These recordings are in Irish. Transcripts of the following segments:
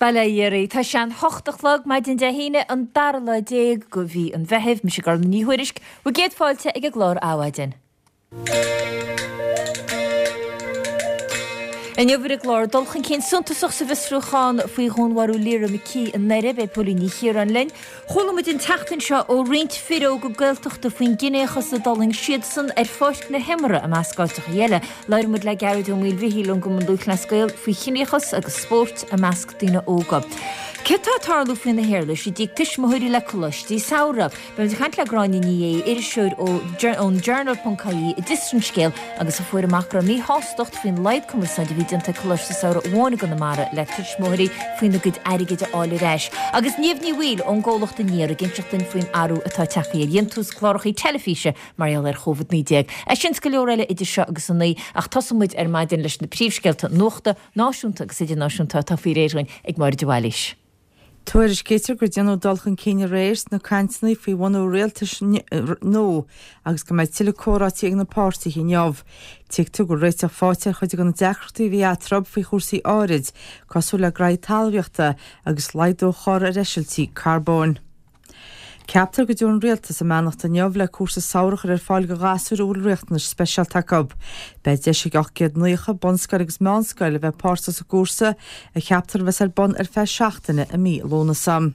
Bail ó Dhia oraibh. Tá sé an hocht a chlog, maidin Dé hAoine, an dara lá déag de mhí an Mheithimh. Mise Gormfhlaith Ní Thuairisg, bhur gcéad fáilte ag an gclár Adhmhaidin. Inniu ar an gclár, dul chun cinn suntasach sa bhfiosrúchán faoi dhúnmharú Lyra McKee i nDoire. Beidh Póilín Ní Chiaráin linn. Chuala muid an tseachtain seo ó roinnt fir óga Gaeltachta faoin gciníochas a d'fhulaing siadsan ar pháirc na himeartha i measc áiteacha eile. Labhróidh muid le Gearóid Ó Maoilmhichíl ón gCumann Lúthchleas Gael faoi chiníochas agus spórt i measc daoine óga. Céard tá ag tarlú faoi na héarlais i dtigh tuismitheoirí le coláistí samhraidh? Beidh muid ag caint le Gráinne Ní Aodha, iriseoir ón Journal.ie a d'fhiosraigh an scéal agus a fuair amach go raibh míshástacht faoin laghad cumarsáide a bhí déanta ag Coláiste Samhraidh amháin i gConamara le tuismitheoirí faoina gcuid airgid a fháil ar ais. Agus Niamh Ní Bhaoill ón gcomhlacht Aniar ag inseacht duinn faoin athrú atá tagtha ar dhéantús cláracha teilifíse mar gheall ar Chóvid 19. É sin 's go leor eile idir seo agus a naoi, ach tosóidh muid ar maidin leis na príomhscéalta nuachta, náisiúnta agus idirnáisiúnta atá faoi réir dhúinn ag Máire de Bhailís. Tuairiscítear gur déanadh dul chun cinn aréir sna cainteanna faoi bhunú rialtais nua agus go mbeidh tuilleadh comhráití ag na páirtithe inniu. Tuigtear go bhfuil réiteach faighte ar chuid de na deacrachtaí a bhí eatarthu faoi chúrsaí áirid, cosúil le graithí talmhaíochta agus laghdú a chur ar eisiltí carbóin. Ceaptar go dtabharfaidh an Rialtas a mbeannacht inniu le cúrsa samhraidh a chur ar fáil do ghasúir a bhfuil riachtanais speisialta acu. Beidh deis ag 890 bunscoil agus meánscoil a bheith páirteach sa gcúrsa, a cheaptar a bheas ar bun ar feadh seachtaine i mí Lúnasa.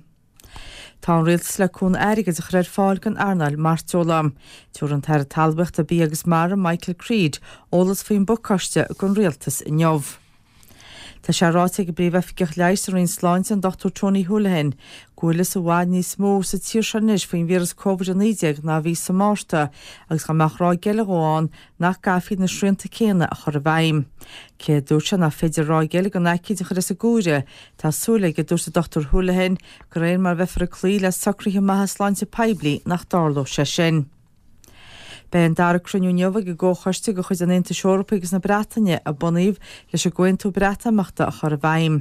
Tá an Rialtas le cúnamh airgid a chur ar fáil don earnáil mairteola. Tabharfaidh an tAire Talmhaíochta, Bia agus Mara, Michael Creed, eolas faoin bpacáiste don Rialtas inniu. Tá sé ráite ag an bPríomh-Oifigeach Leighis sa Roinn Sláinte, an Dr Tony Holohan, go bhfuil fhios i bhfad níos mó sa tír seo anois faoin víreas Covid-19 ná a bhí sa Márta agus dá mbeadh ráig eile dhó ann nach gcaithfí na srianta céanna a chur i bhfeidhm. Cé a dúirt sé nach féidir ráig eile den aicíd a chur as an gcomhaireamh, tá súil aige, a dúirt an Dr Holohan, de réir mar a bheifear ag cloí le socruithe maithe sláinte poiblí nach dtarlódh sé sin. Beidh an dara cruinniú inniu ag an gComhchoiste de chuid an Aontais Eorpaigh agus na Breataine a bunaíodh leis an gComhaontú Breatimeachta a chur i bhfeidhm.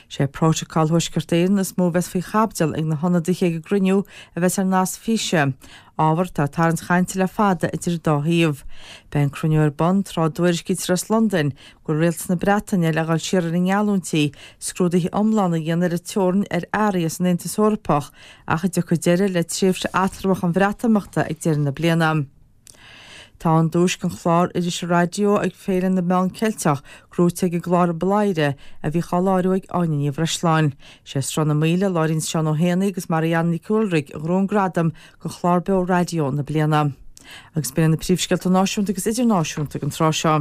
Sé Prótacal Thuaisceart Éireann is mó a bheas faoi chaibidil ag na hionadaithe ag an gcruinniú a bheas ar nasc físe, ábhar atá ag tarraingt chainte le fada idir an dá thaobh. Beidh an cruinniú ar bun tráth a dtuairiscítear as Londain go bhfuil rialtas na Breataine le dhul siar ar a ngeallúintí scrúduithe iomlána a dhéanamh ar an teorainn ar earraí as an Aontas Eorpach ach a dtiocfaidh deireadh le tréimhse eatramhach an Bhreatimeachta ag deireadh na bliana. Tá an duais don chlár irise raidió ag Féile na Meán Ceilteach gnóite ag an gclár Bladhaire a bhíodh á láithriú ag Áine Ní Bhreisleáin. Sé Sruth na Maoile a láithríonn Seán Ó hÉanaí agus Marianne Nic Ualraig a ghnóthaigh an gradam do chlár beo raidió na bliana. Agus b'in iad na príomhscéalta náisiúnta agus idirnáisiúnta ag an tráth seo.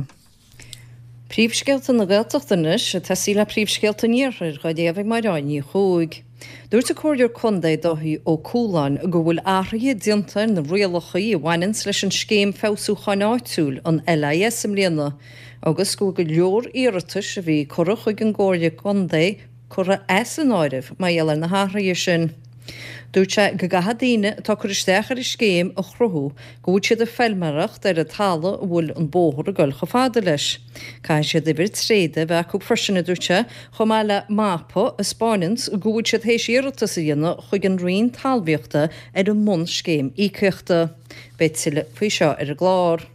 Príomhscéalta na Gaeltachta anois, ag tosaí le príomhscéalta an Iarthair, dhá léamh ag Máire Ní Chuaig. Dúirt an Comhairleoir Contae Dáithí Ó Cualáin go bhfuil athruithe déanta ar na rialacha a bhaineanns leis an Scéim Feabhsúcháin Áitiúil, an LIS, i mbliana agus go bhfuil go leor iarratais a bhí curtha chuig an gComhairle Contae curtha as an áireamh mar gheall ar na hathruithe sin. Dúirt sé go gcaithfidh daoine atá ag cur isteach ar an scéim a chruthú go bhfuil siad ag feilméaracht ar an talamh a bhfuil an bóthar ag goil chomh fada leis. Caithfidh siad uimhir tréada a bheith acu freisin, a dúirt sé, chomh maith le mapa a 'spáineanns go bhfuil siad théis iarratas a dhéanamh chuig an Roinn Talmhaíochta ar an mbunscéim íocaíochta. Beidh tuilleadh faoi seo ar an gclár.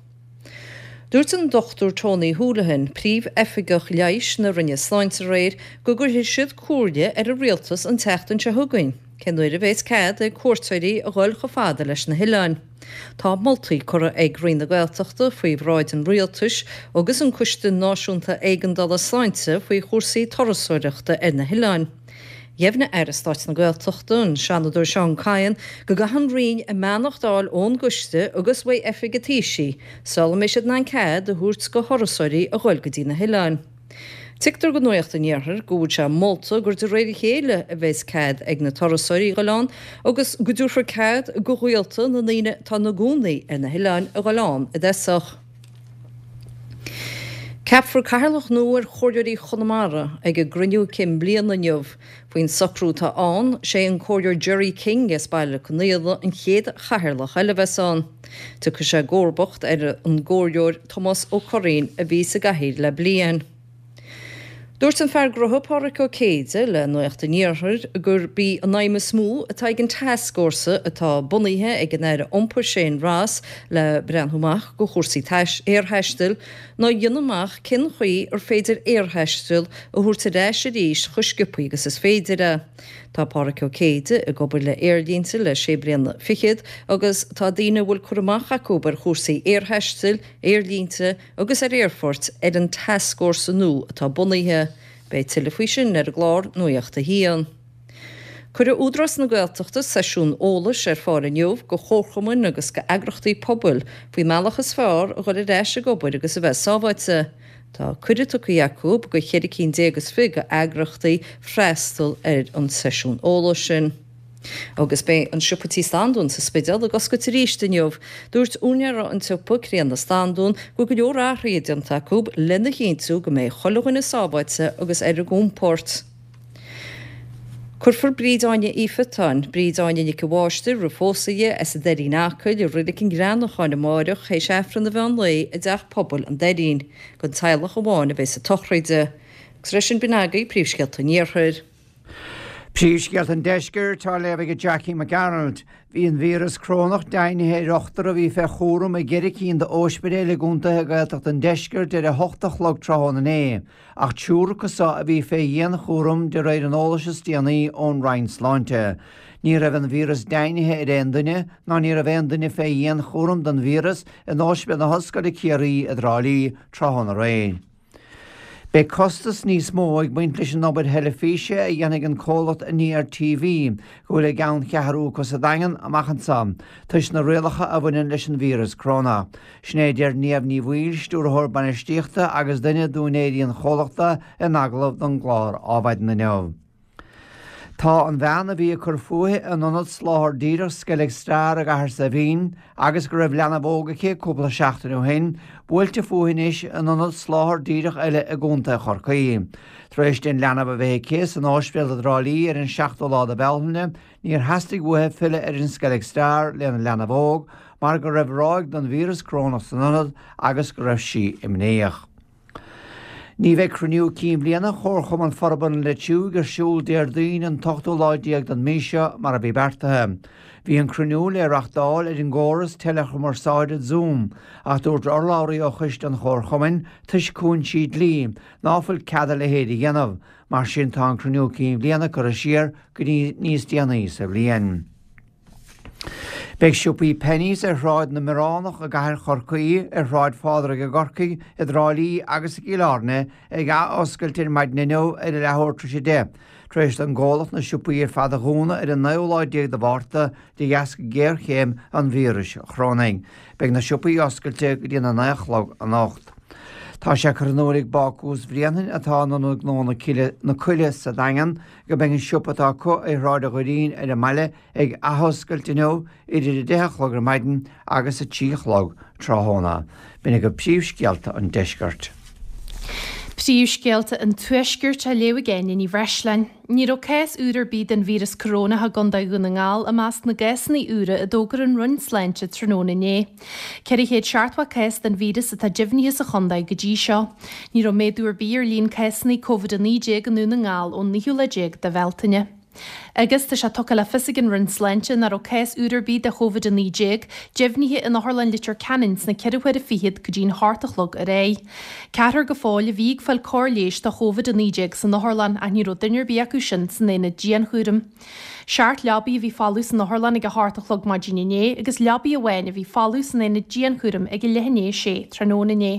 Dúirt an Dr Tony Holohan, Príomh-Oifigeach Leighis na Roinne Sláinte aréir go gcuirfidh siad comhairle ar an Rialtas an tseachtain seo chugainn cén uair a bheas cead ag cuairteoirí a dhul chomh fada leis na hoileáin. Tá moltaí curtha ag Roinn na Gaeltachta faoi bhráid an Rialtais agus an Coiste Náisiúnta Éigeandála Sláinte faoi chúrsaí turasóireachta ar na hoileáin. Dheimhnigh Aire Stáit na Gaeltachta, an Seanadóir Seán Kyne, go gcaithfidh an Roinn a mbeannacht a fháil ón gcoiste agus uaidh Oifig an Taoisigh sula mbeidh siad in ann cead a thabhairt do thurasóirí a ghoil go dtí na hoileáin. Tuigtear do Nuacht an Iarthair go bhfuil sé molta gur de réir a chéile a bheas cead ag na turasóirí a ghoil ann agus go dtabharfar cead do ghaolta na ndaoine atá ina gcónaí ar na hoileáin a ghoil ann i dtosach. Ceapfar cathaoirleach nua ar Chomhairleoirí Chonamara ag a gcruinniú cinn bliana inniu. Faoin socrú atá ann, sé an Comhairleoir Gerry King as Baile Conaola an chéad chathaoirleach eile a bheas ann. Tiocfaidh sé i gcomharbacht ar an gComhairleoir Tomás Ó Curraoin a bhí sa gcathaoir le bliain. Dúirt an fear gnótha Pádraic Ó Céide le Nuacht an Iarthair gurb í an aidhm is mó atá ag an tascfhórsa atá bunaithe ag an Aire Iompair Shane Ross le breathnú amach go chúrsaí aerthaistil ná a dhéanamh amach cén chaoi ar féidir aerthaisteal a thabhairt ar ais arís chomh sciobthaí agus is féidir é. Tá Pádraic Ó Céide ag obair le aerlínte le sé bliana fichead agus tá daoine a bhfuil cur amach acu ar chúrsaí aerthaistil, aerlínte, agus ar aerfoirt ar an tascfhórsa nua atá bunaithe. Beidh tuilleadh faoi sin ar an gclár Nuacht a hAon. Cuirfidh Údarás na Gaeltachta seisiún eolais ar fáil inniu go chomharchumainn agus go eagrachtaí pobail faoin mbealach is fearr a dhul ar ais ag obair agus a bheith sábháilte. Tá cuireadh tugtha acu go cheithre cinn déag is fiche go eagrachtaí freastal ar an seisiún eolais sin. Agus beidh an siopa Tí Standún sa Spidéal ag oscailt arís inniu. Dúirt úinéir an tsiopa, Críona Standún, go bhfuil go leor athruithe déanta acu lena chinntiú go mbeidh chuile dhuine sábháilte agus ar a gcompord. Cuirfear Bríd Áine Uí Phiotáin, Bríd Áine Nic a' Mháistir roimh phósadh di, as an Doirín Acaill, i Reilig an Ghreanacháin amáireach théis Aifreann an mheán lae i dTeach Pobail an Doirín. Don teaghlach amháin a bheas an tsochraid. Agus leis sin b'in agaibh príomhscéalta an Iarthair. Príomhscéalta an Deiscirt á léamh ag Jackie Mac Gearailt. Bhí an víreas corónach deimhnithe ar ochtar a bhí fé chúram i gceithre cinn d'óispidéil i gcontaetha Gaeltachta an Deiscirt ar a hocht a chlog tráthnóna inné, ach triúr acu so a bhí fé dhianchúram de réir an eolais is déanaí ón Roinn Sláinte. Ní raibh an víreas deimhnithe ar aon duine ná ní raibh aon duine fé dhianchúram don víreas in Ospidéal na hOllscoile Ciarraí i dTrá Lí tráthnóna aréir. Beidh costas níos mó ag baint leis an obair theilifíse a dhéanfaidh an comhlacht Aniar TV, go bhfuil a gceanncheathrú acu sa Daingean, amach anseo, toisc na rialacha a bhaineann leis an víreas crónach. Sin é a deir Niamh Ní Bhaoill, Stiúrthóir Bainistíochta agus duine d'úinéirí an chomhlachta in agallamh don gclár Adhmhaidin inniu. Tá an bhean a bhí ag cur fúithi in ionad soláthair díreach Skellig Star i gCathair Saidhbhín agus go raibh leanbh óg aici cúpla seachtain ó shin, buailte fúithi anois in ionad soláthair díreach eile i gContae Chorcaí. Tar éis di an leanbh a bheith aici san ospidéal i dTrá Lí ar an seachtú lá de Bhealtaine, níor theastaigh uaithi filleadh ar an Skellig Star lena leanbh óg mar go raibh ráig den víreas corónach san ionad agus go raibh sí imníoch. Ní bheidh cruinniú cinn bhliana Chomharchumann Forbartha na Leitriúigh ar siúl Déardaoin an t-ochtú lá déag den mhí seo mar a bhí beartaithe. Bhí an cruinniú le reachtáil ar an gcóras teileachumarsáide Zoom ach dúirt urlabhraí ó choiste an Chomharchumainn toisc cúinsí dlí ná fuil cead a leithéid a dhéanamh, mar sin tá an cruinniú cinn bhliana curtha siar go dtí níos déanaí sa bhliain. Beidh siopaí Penneys ar Shráid na mBioránach i gcathair Chorcaí, ar Shráid Phádraig i gCorcaigh, i dTrá Lí agus i gCill Airne ag ath-oscailt ar maidin inniu ar a leathuair tar éis 10, tar éis don gcomhlacht na siopaí ar fad a dhúnadh ar an naoú lá déag de Mhárta de dheasca géarchéim an víris chorónaigh. Beidh na siopaí oscailte go dtí a 9 a chlog anocht. Tá sé curtha in iúl ag Bácús Bhréanainn atá in Ionad Gnó na Coille sa Daingean go mbeidh an siopa atá acu ar Shráid an Dhoirín ar an mbaile ag athoscailt inniu idir 10 a chlog ar maidin agus 3 a chlog tráthnóna. B'in agaibh príomhscéalta an deiscirt. Príomhscéalta an Tuaiscirt á léamh ag Áine Ní Bhreisleáin. Ní raibh cás úr ar bith den víreas corónach i gContae Dhún na nGall i measc na gcásanna úra a d'fhógair an Roinn Sláinte tráthnóna inné. 470 cás den víreas atá deimhnithe sa chontae go dtí seo. Ní raibh méadú ar bith ar líon cásanna Covid-19 i nDún na nGall ón naoú lá déag de Bhealtaine. Agus tá sé tugtha le fios ag an Roinn Sláinte nach raibh cás úr ar bith de Covid-19 deimhnithe in Otharlann Leitir Ceanainn sna ceithre huaire fichead go dtí'n hocht a chlog aréir. Ceathrar go fóill a bhí ag fáil cóir leighis do Covid-19 san otharlann ach ní raibh duine ar bith acu sin san aonad dianchúraim. Seacht leabaidh a bhí folamh san otharlann ag a hocht a chlog maidin inné agus leabaidh amháin a bhí folamh san aonad dianchúraim ag a leath i ndiaidh a sé tráthnóna inné.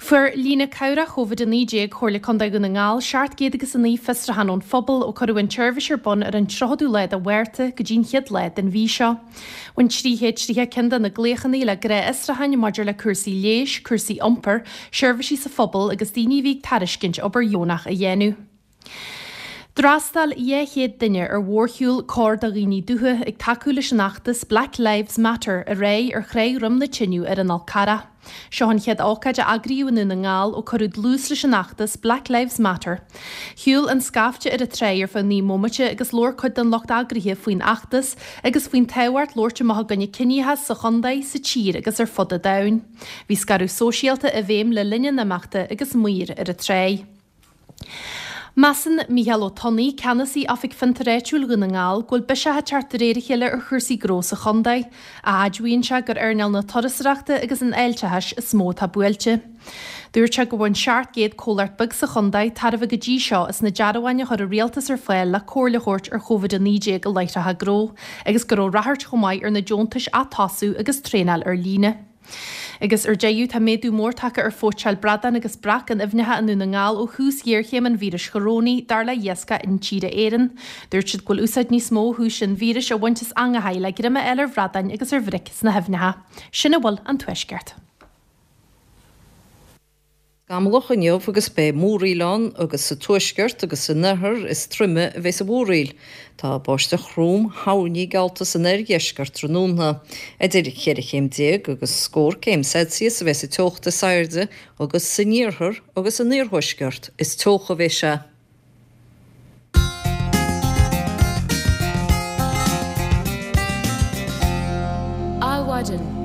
Fuair líne cabhrach Covid-19 Chomhairle Contae Dhún na nGall 709 fiosrúchán ón phobal ó cuireadh an tseirbhís ar bun ar an 30ú lá de Mhárta go dtí'n chéad lá den mhí seo. Bhain 330 ceann de na glaochanna le gnáthfhiosrúcháin maidir le cúrsaí leighis, cúrsaí iompair, seirbhísí sa phobal agus daoine a bhí ag tairiscint obair dheonach a dhéanamh. D'fhreastail 200 duine ar mhórshiúl Cóir do Dhaoine Dubha ag tacú leis an fheachtas Black Lives Matter aréir ar Thráigh Dhroim na Tineadh ar an Fhál Carrach. Seo an chéad ócáid a eagraíodh i nDún na nGall ó cuireadh dlús leis an fheachtas Black Lives Matter. Shiúil an scaifte ar an tráigh ar feadh 9 mbomaite agus labhair cuid den lucht eagraithe faoin fheachtas agus faoin tábhacht labhairt amach i gcoinne ciníochas sa chontae, sa tír agus ar fud an domhain. Bhí scaradh sóisialta i bhfeidhm le linn an imeachta agus maoir ar an tráigh. Measann Mícheál Ó Tonnaigh, Ceannasaí Oifig Fiontair Áitiúil Dhún na nGall, go bhfuil biseach ag teacht de réir a chéile ar chúrsaí gnó sa chontae. Admhaíonn sé gur earnáil na turasóireachta agus an fháilteachais is mó atá buailte. Dúirt sé gur bhain 700 comhlacht beag sa chontae tairbhe go dtí seo as na dearbháin a chuir an rialtas ar fáil le comhairle a thabhairt ar Covid-19 i láithreacha gnó agus go raibh ráchairt chomh maith ar na deontais Atosú agus traenáil ar líne. Agus ar deireadh, tá méadú mór tagtha ar phóitseáil bradán agus breac in aibhneacha i nDún na nGall ó thús ghéarchéim an víris chorónaigh, dar le hIascach Intíre Éireann. Dúirt siad go bhfuil úsáid níos mó ó thús an víris á bhaint as eangacha le greim a fháil ar bhradáin agus ar bhric sna haibhneacha. Sin a bhfuil ón Tuaisceart. Scamallach inniu agus beidh múraíl ann agus sa tuaisceart agus san oirthear is troime a bheas an mhúraíl. Tá báisteach throm thoirní geallta san oirdheisceart tráthnóna. Idir cheithre chéim déag agus scór céim Celsius a bheas an teocht is airde agus san iarthar agus san iarthuaisceart is teocha a bheas sé. Adhmhaidin.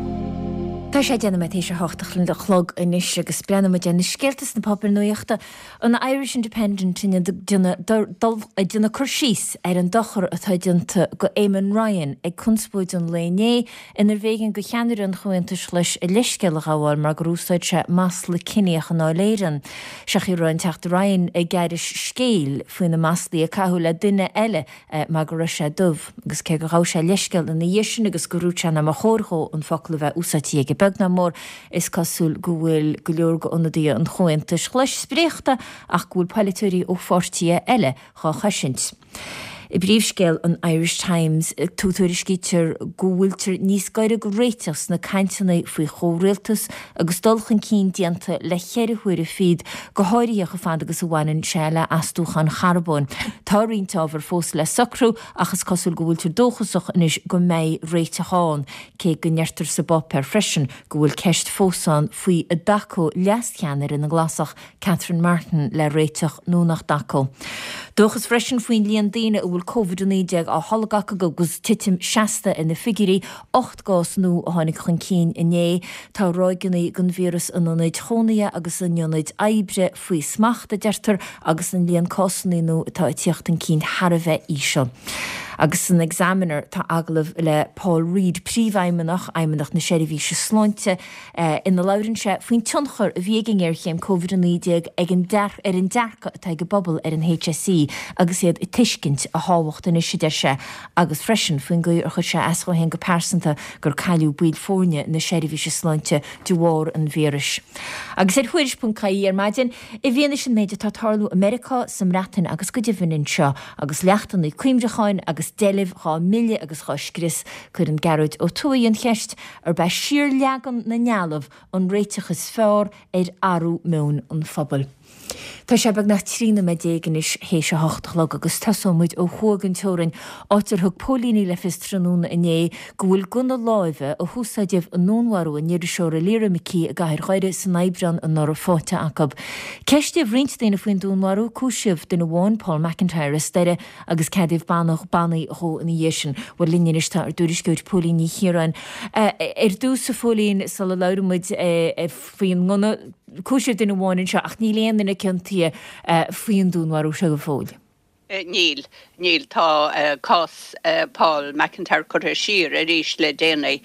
Tá sé 10 nóiméad théis a hocht a chlog anois agus breathnóidh muid ar na scéalta sna páipéir nuachta. An Irish Independent ag déanamh cur síos ar an dochar atá déanta go Eamon Ryan ag conspóid an lae inné inar bh'éigean go cheannaire an Chomhaontais Ghlais a leithscéal a ghabháil mar gur úsáid sé masla ciníoch i nDáil Éireann. Sé an chaoi a raibh an Teachta Ryan ag aithris scéil faoi na maslaí a caitheadh le duine eile mar go raibh sé dubh. Agus cé gur ghabh sé leithscéal ina dhiaidh sin agus gur dhúirt sé nach mba chóir dhó an focal a bheith úsáidte aige beag ná mór, is cosúil go bhfuil go leor d'ionadaithe an Chomhaontais Ghlais spréachta ach go bhfuil polaiteoirí ó pháirtithe eile dhá chosaint. I bpríomhscéal an Irish Times, tuairiscítear go bhfuiltear níos gaire go réiteach sna cainteanna faoi chomhrialtas agus dul chun cinn déanta le cheithre huaire fichead, go háirithe chomh fada agus a bhaineann sé le astúcháin charbóin. Tá roinnt ábhar fós le socrú ach is cosúil go bhfuiltear dóchasach anois go mbeidh réiteach ann, cé go ndeirtear sa bpáipéar freisin go bhfuil ceist fós ann faoi an dtacódh leascheannaire na nGlasach Catherine Martin le réiteach nó nach dtacódh. Dóchas freisin faoin líon daoine a bhfuil Covid-19 á tholg acu agus titim seasta ar na figiúirí, 8 gcás nua a tháinig chun cinn inné. Tá ráigeanna den víreas in ionaid chónaithe agus in ionaid oibre faoi smacht, a deirtear, agus an líon cásanna nua atá ag tíocht chun cinn thar a bheith íseal. Agus san Examiner tá agallamh le Paul Reid, Príomhfheidhmeannach Fheidhmeannacht na Seirbhíse Sláinte, ina labhrann sé faoin tionchar a bhí ag an ngéarchéim Covid-19 ag an ar an dearcadh atá ag an bpobal ar an HSE agus iad ag tuiscint a thábhacht anois, a deir sé, agus freisin faoin gcaoi ar chuir sé as dhó féin go pearsanta gur cailleadh baill foirne na seirbhíse sláinte de bharr an víris. Agus ar Thuairisc.ie ar maidin, i bhfianaise an méid atá ag tarlú i Meiriceá, sa mBreatain agus go deimhin anseo, agus leachtanna cuimhreacháin agus deilbh dhá milleadh agus dhá scrios, cuireann Gearóid Ó Tuathaigh an cheist, Arb é siarleagan na ndealbh an réiteach is fearr ar athrú meoin an phobail? Tá sé beagnach 13 nóiméad anois théis a hocht a chlog agus tosóidh muid ó thuaidh den teorainn, áit ar thug póilíní le fios tráthnóna inné go bhfuil gunna láimhe a húsáideadh i ndúnmharú an iriseora Lyra McKee i gcathair Dhoire san Aibreán anuraidh faighte acu. Ceistíodh roinnt daoine faoin dúnmharú, cúisíodh duine amháin, Paul McIntyre as Doire, agus ceadaíodh bannaí dhó ina dhiaidh sin. Bhuel, linn anois tá ár dtuairisceoir Póilín Ní Chiaráin. Ar dtús, a Phóilín, sula labhraíonn muid faoin ngunna, cúisíodh duine amháin anseo ach níl aon duine ciontaithe faoin dúnmharú seo go fóill. Níl, níl. Tá cás Paul McIntyre curtha siar arís le déanaí,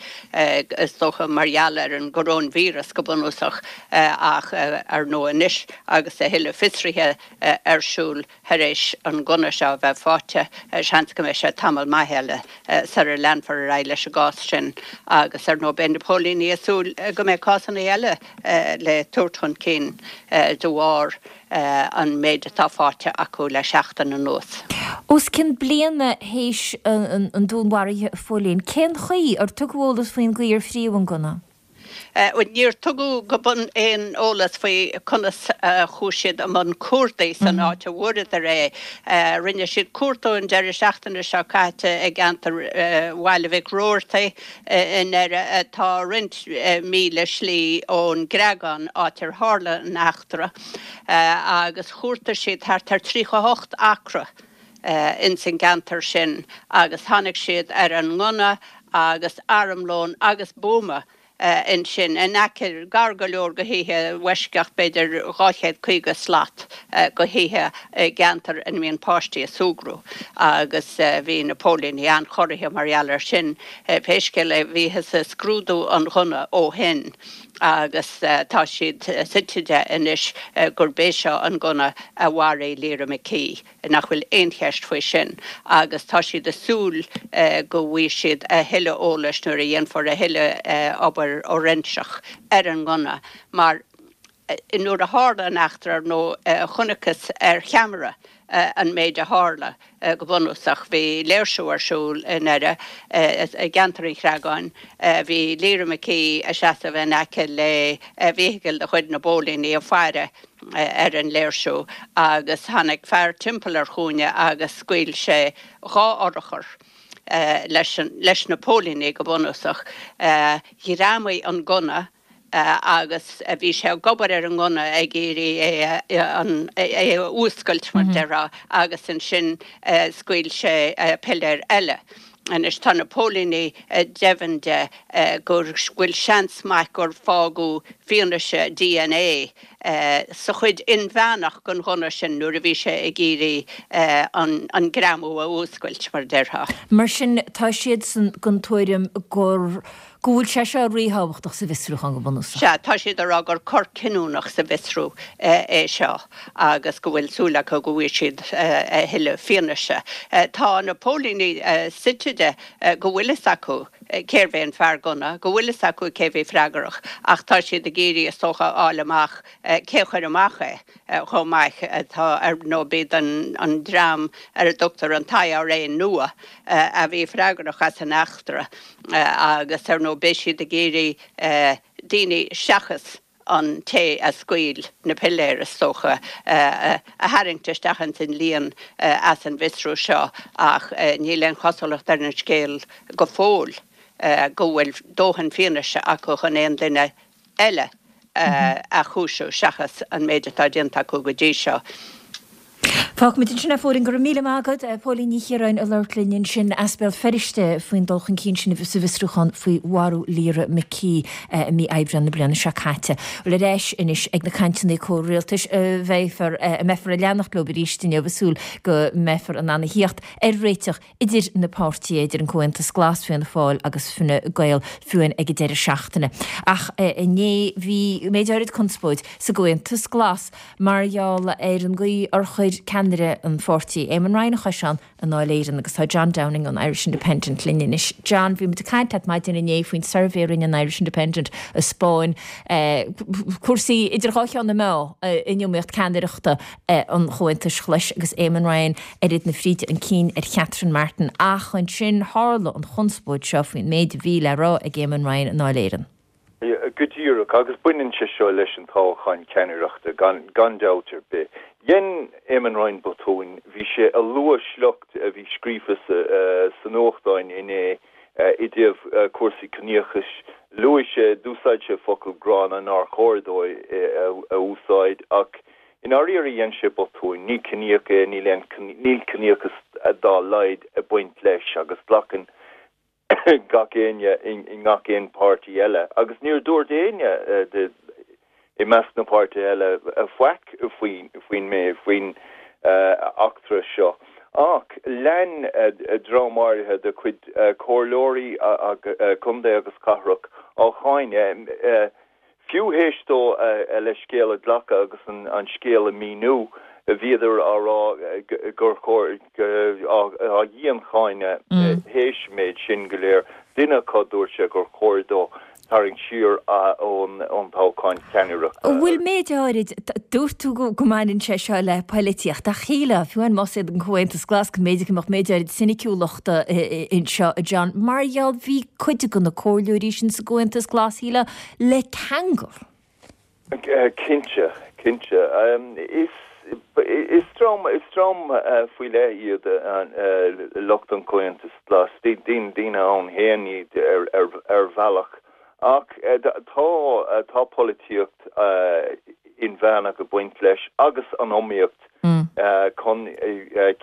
is dócha mar gheall ar an gcoróinvíreas go bunúsach, ach ar ndóigh anois agus a thuilleadh fiosraithe ar siúl, Tar éis an gunna seo a bheith faighte, seans go mbeidh sé tamall maith eile sara leanfar ar aghaidh leis an gcás sin agus, ar ndóigh, beidh na póilíní ag súil go mbeidh cásanna eile le tabhairt chun cinn de bharr an méid atá faighte acu le seachtain anuas. Os cionn bliana théis an dúnmharaithe, a Phóilín, cén chaoi ar tugadh eolas faoin gcaoi ar fríodh an gunna? Níor tugadh go bun aon eolas faoi conas a chuaigh siad i mbun cuardaigh san áit a bhfuaireadar é. Rinne siad cuartú an deireadh seachtaine seo caite i gceantar Bhaile Mhic Roartaigh i nDoire, atá roinnt míle slí ón gCreagán, áit ar tharla an eachtra, agus chuartaigh siad thart ar 38 acra ins an gceantar sin agus tháinig siad ar an ngunna agus armlón agus buama. ansin in aice, gar go leor go thithe, i bhfoisceacht b'fhéidir 250 slat go thithe i gceantar ina mbíonn páistí ag súgradh agus bhí na póilíní an-chorraithe mar gheall air sin. Pé scéal é, bhíothas ag scrúdú an ghunna ó shin agus tá siad suite de anois gurb é seo an gunna a mharaigh Lyra McKee. nach bhfuil aon cheist faoi sin agus tá siad ag súil go bhfaighidh siad a thuilleadh eolais nuair a dhéanfar a thuilleadh obair fhóiréinseach ar an ngunna mar nuair a tharla an eachtra, ar ndóigh, chonacthas ar cheamara an méid a tharla. Go bunúsach, bhí léirsiú ar siúl i nDoire, i gceantar an Chreagáin. Bhí Lyra McKee ag seasamh in aice le feithicil de chuid na bpóilíní ag faire ar an léirsiú agus tháinig fear timpeall ar chúinne agus scaoil sé 2 urchar leis na póilíní go bunúsach. Ghreamaigh an gunna agus bhí sé ag obair ar an ngunna ag iarraidh é a fhuascailt mar déarfá agus ansin scaoil sé piléar eile. Anois tá na póilíní deimhin de go bhfuil seans maith gur fágadh fianaise dna sa chuid inmheánach den ghunna sin nuair a bhí sé ag iarraidh an greamú a fhuascailt, mar a déarfá. Mar sin, tá siadsan den tuairim gur go bhfuil sé seo ríthábhachtach sa bhfiosrúchán go bunúsach. Sea, tá siad ag rá gur cor cinniúnach sa bhfiosrú é seo agus go bhfuil súil acu go bhfaighidh siad a thuilleadh fianaise. Tá na póilíní suite de go bhfuil fhios acu cérbh é an fear gunna, go bhfuil fhios acu cé bhí freagrach ach tá siad ag iarraidh is dócha a fháil amach cé chuir amach é. chomh maith. Tá, ar ndóigh, b'iad an dream ar a dtugtar an tIRA Nua a bhí freagrach as an eachtra agus, ar ndóigh, beidh siad ag iarraidh daoine seachas an té a scaoil na piléir, is dócha, a tharraingt isteach ins an líon as an bhfiosrú seo ach níl aon chosúlacht ar an scéal go fóill go bhfuil dóthain fianaise acu chun aon duine eile a chúiseamh seachas an méid atá déanta acu go dtí seo. Fágfaimid ansin é, a Phóilín. Go raibh míle maith agat. Póilín Ní Chiaráin ag labhairt linn ansin as Béal Feirste faoin dul chun cinn sin sa bhfiosrúchán faoi mharú Lyra McKee i mí Aibreáin na bliana seo caite. Bhuel, ar ais anois ag na cainteanna comhrialtais a bheifear, a mbeifear ag leanacht leo arís inniu, ag súil go mbeifear in ann a thíocht ar réiteach idir na páirtithe, idir an Comhaontas Glas, Fianna Fáil agus Fine Gael, fiú amháin ag an deireadh seachtaine. Ach inné bhí méid áirid conspóid sa gComhaontas Glas mar gheall ar an gcaoi ar chuir ceannaire an pháirtí, Eamon Ryan, a chois ann i nDáil Éireann agus tá John Downing ón Irish Independent linn anois. John, bhí muid ag caint leat maidin inné faoin suirbhé a rinne an Irish Independent a 'spáin cúrsaí idir dhá cheann na meá in iomaíocht ceannaireachta an Chomhaontais Ghlais agus Eamon Ryan ar fhad na fríde chun cinn ar Catherine Martin ach ansin tharla an chonspóid seo faoin méid a bhí le rá ag Eamon Ryan i nDáil Éireann. Go díreach, agus baineann sé seo leis an toghchán ceannaireachta gan dabht ar bith. Dhein Eamon Ryan botúin, bhí sé ag lua sliocht a bhí scríofa sa nuachtáin inné i dtaobh cúrsaí ciníochais. Luaigh sé, d'úsáid sé focal gránna nár chóir dó a úsáid ach I ndáiríre dhein sé botúin, ní ciníoch é, níl aon, níl ciníochas dá laghad ag baint leis agus glacann gach éinne i ngach aon páirtí eile agus níor dúirt éinne de i measc na páirtithe eile faic faoin, faoin, faoin eachtra seo. Ach lean dream áirithe de chuid comhairleoirí contae agus cathrach á cháineadh. Fiú théis dó a leithscéal a ghlacadh agus an scéal a mhíniú, bhíodar á rá gur chóir, á dhiancháineadh théis an méid sin go léir. Duine acu, dúirt sé gur chóir dó tarraingt siar ón toghchán ceannaireachta. An bhfuil méid áirid, dúirt tú go mbaineann sé seo le poilitíocht, ach shílfeá, fiú amháin más iad an Comhaontas Glas, go mb'fhéidir go mbeadh méid áirid soiniciúlachta anseo, a John, mar gheall, bhí cuid de na comhairleoirí sin sa gComhaontas Glas, shílfeá, le ceangal. Cinnte, cinnte. Is, is dream, is dream faoi leith iad lucht an Chomhaontais Ghlais. Daoine ann féin iad ar bhealach. Ach tá, tá polaitíocht inmheánach ag baint leis agus an iomaíocht chun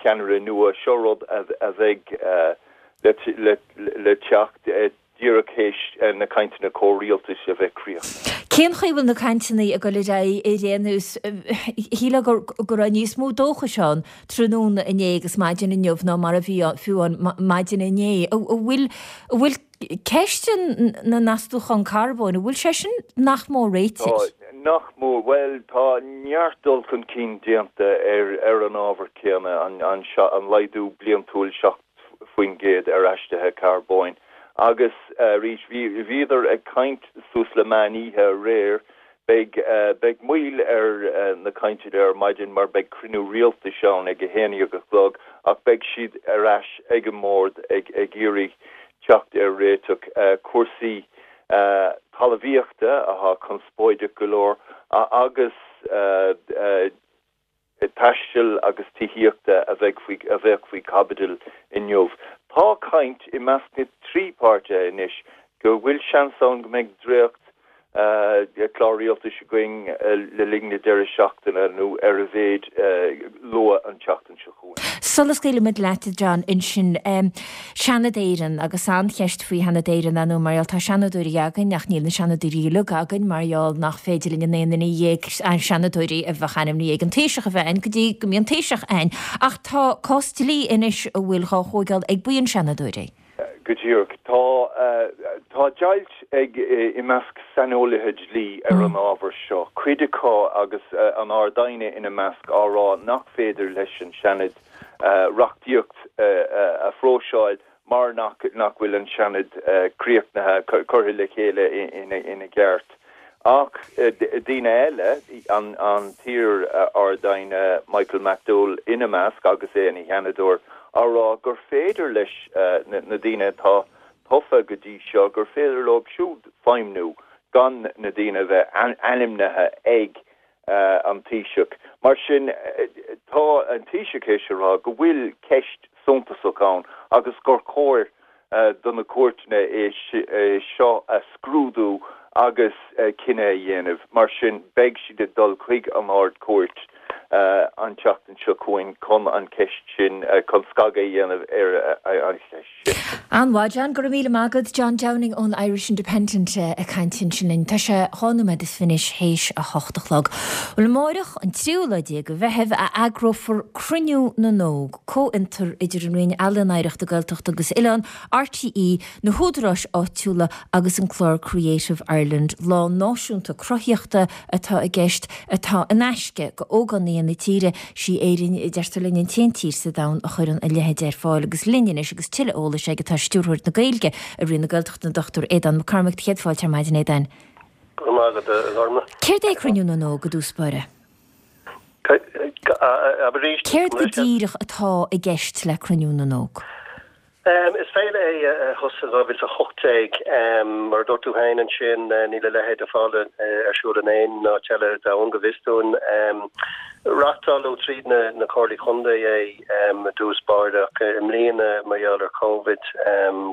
ceannaire nua. Seo rud a bheidh le teacht. Díreach théis na cainteanna comhrialtais a bheith críochnaithe. Cén chaoi a bhfuil na cainteanna ag dul ar aghaidh ar aon nós? Shílfeá go raibh níos mó dóchais ann tráthnóna inné agus maidin inniu ná mar a bhí fiú ann maidin inné. An bhfuil an bhfuil ceist na n-astúchán carbóin, an bhfuil sé sin nach mór réitithe? Tá, nach mór. Bhuel, tá neart dul chun cinn déanta ar an ábhar céanna, an laghdú bliantúil 7 % ar aistrithe carbóin agus arís bhíodar ag caint suas le meán oíche aréir. Beidh beidh moill ar na cainteanna ar maidin mar beidh cruinniú rialtais ann ag a 11 a chlog ach beidh siad ar ais ag an mbord ag ag iarraidh teacht ar réiteach cúrsaí talmhaíochta atá conspóideach go leor agus taistil agus tithíochta a bheidh faoi a bheadh faoi chaibidil inniu. Tá caint i measc na dtrí páirtithe anois go bhfuil seans ann go mbeidh dréacht clár rialtais againn le linn na deireadh seachtaine nó ar a mhéid luath an tseachtain seo chugainn. Sula scaoilimid leat, a John, ansin, Seanad Éireann, agus an-cheist faoi Sheanad Éireann, ar ndóigh, mar gheall, tá Seanadóirí againn ach níl na Seanadóirí uilig againn mar gheall nach féidir linn an aon duine dhéag Seanadóirí a bheadh ainmnithe ag an Taoiseach a bheith againn go dtí go mbíonn Taoiseach againn. Ach tá cás dlí anois a bhfuil dhá thóigeáil ag buíon Seanadóirí. Go díreach. Tá, tá deighilt ag, i measc saineolaithe dlí ar an ábhar seo, cuid acu, agus an Ard-Aighne ina measc, á rá nach féidir leis an Seanad reachtaíocht a phróiseáil mar nach bhfuil an Seanad críochnaithe, curtha le chéile ina gceart. Ach daoine eile, an t-iar-Ard-Aighne Michael McDowell ina measc agus é ina Sheanadóir, á rá gur féidir leis na daoine atá tofa go dtí seo, gur féidir leo siúd feidhmniú gan na daoine a bheith ainmnithe ag an Taoiseach. Mar sin, tá an Taoiseach théis a rá go bhfuil ceist suntasach ann agus gur chóir do na cúirteanna é seo a scrúdú agus cinneadh a dhéanamh. Mar sin, beidh siad ag dul chuig an Ard-Chúirt an tseachtain seo chugainn chun an cheist sin, chun scagadh a dhéanamh ar an cheist sin. An-mhaith, John. Go raibh míle maith agat. John Downing ón Irish Independent ag caint ansin linn. Tá sé dhá nóiméad is fiche anois théis a hocht a chlog. Bhuel, amáireach, an tríú lá déag de Mheitheamh, a eagrófar Cruinniú na nÓg, comhfhiontar idir an Roinn Ealaíon, Oidhreachta, Gaeltachta agus Oileán, RTÉ, na húdaráis áitiúla agus an clár Creative Ireland. Lá náisiúnta cruthaíochta atá i gceist, atá in aisce go ógánaigh na tíre. Sí Éirinn, a deirtear linn, an t-aon tír sa domhan a chuireann a leithéid ar fáil. Agus linn anois agus tuilleadh eolais aige tá Stiúrthóir na Gaeilge i Roinn na Gaeltachta, an Dr Aodán Mac Cormaic. Céad fáilte ar maidin, Aodáin. Go raibh maith agat, a Ghormfhlaith. Céard é Cruinniú na nÓg i dtús báire? Abair arís. Céard go díreach atá i gceist le Cruinniú na nÓg? Is féile é a thosaigh in 2018. Mar a dúirt tú féin ansin, níl a leithéid ar fáil ar siúl in aon áit eile ar domhan, go bhfios dúinn. Reáchtáladh tríd na Comhairlí Contae é i dtús báire ach i mbliana, mar gheall ar Covid,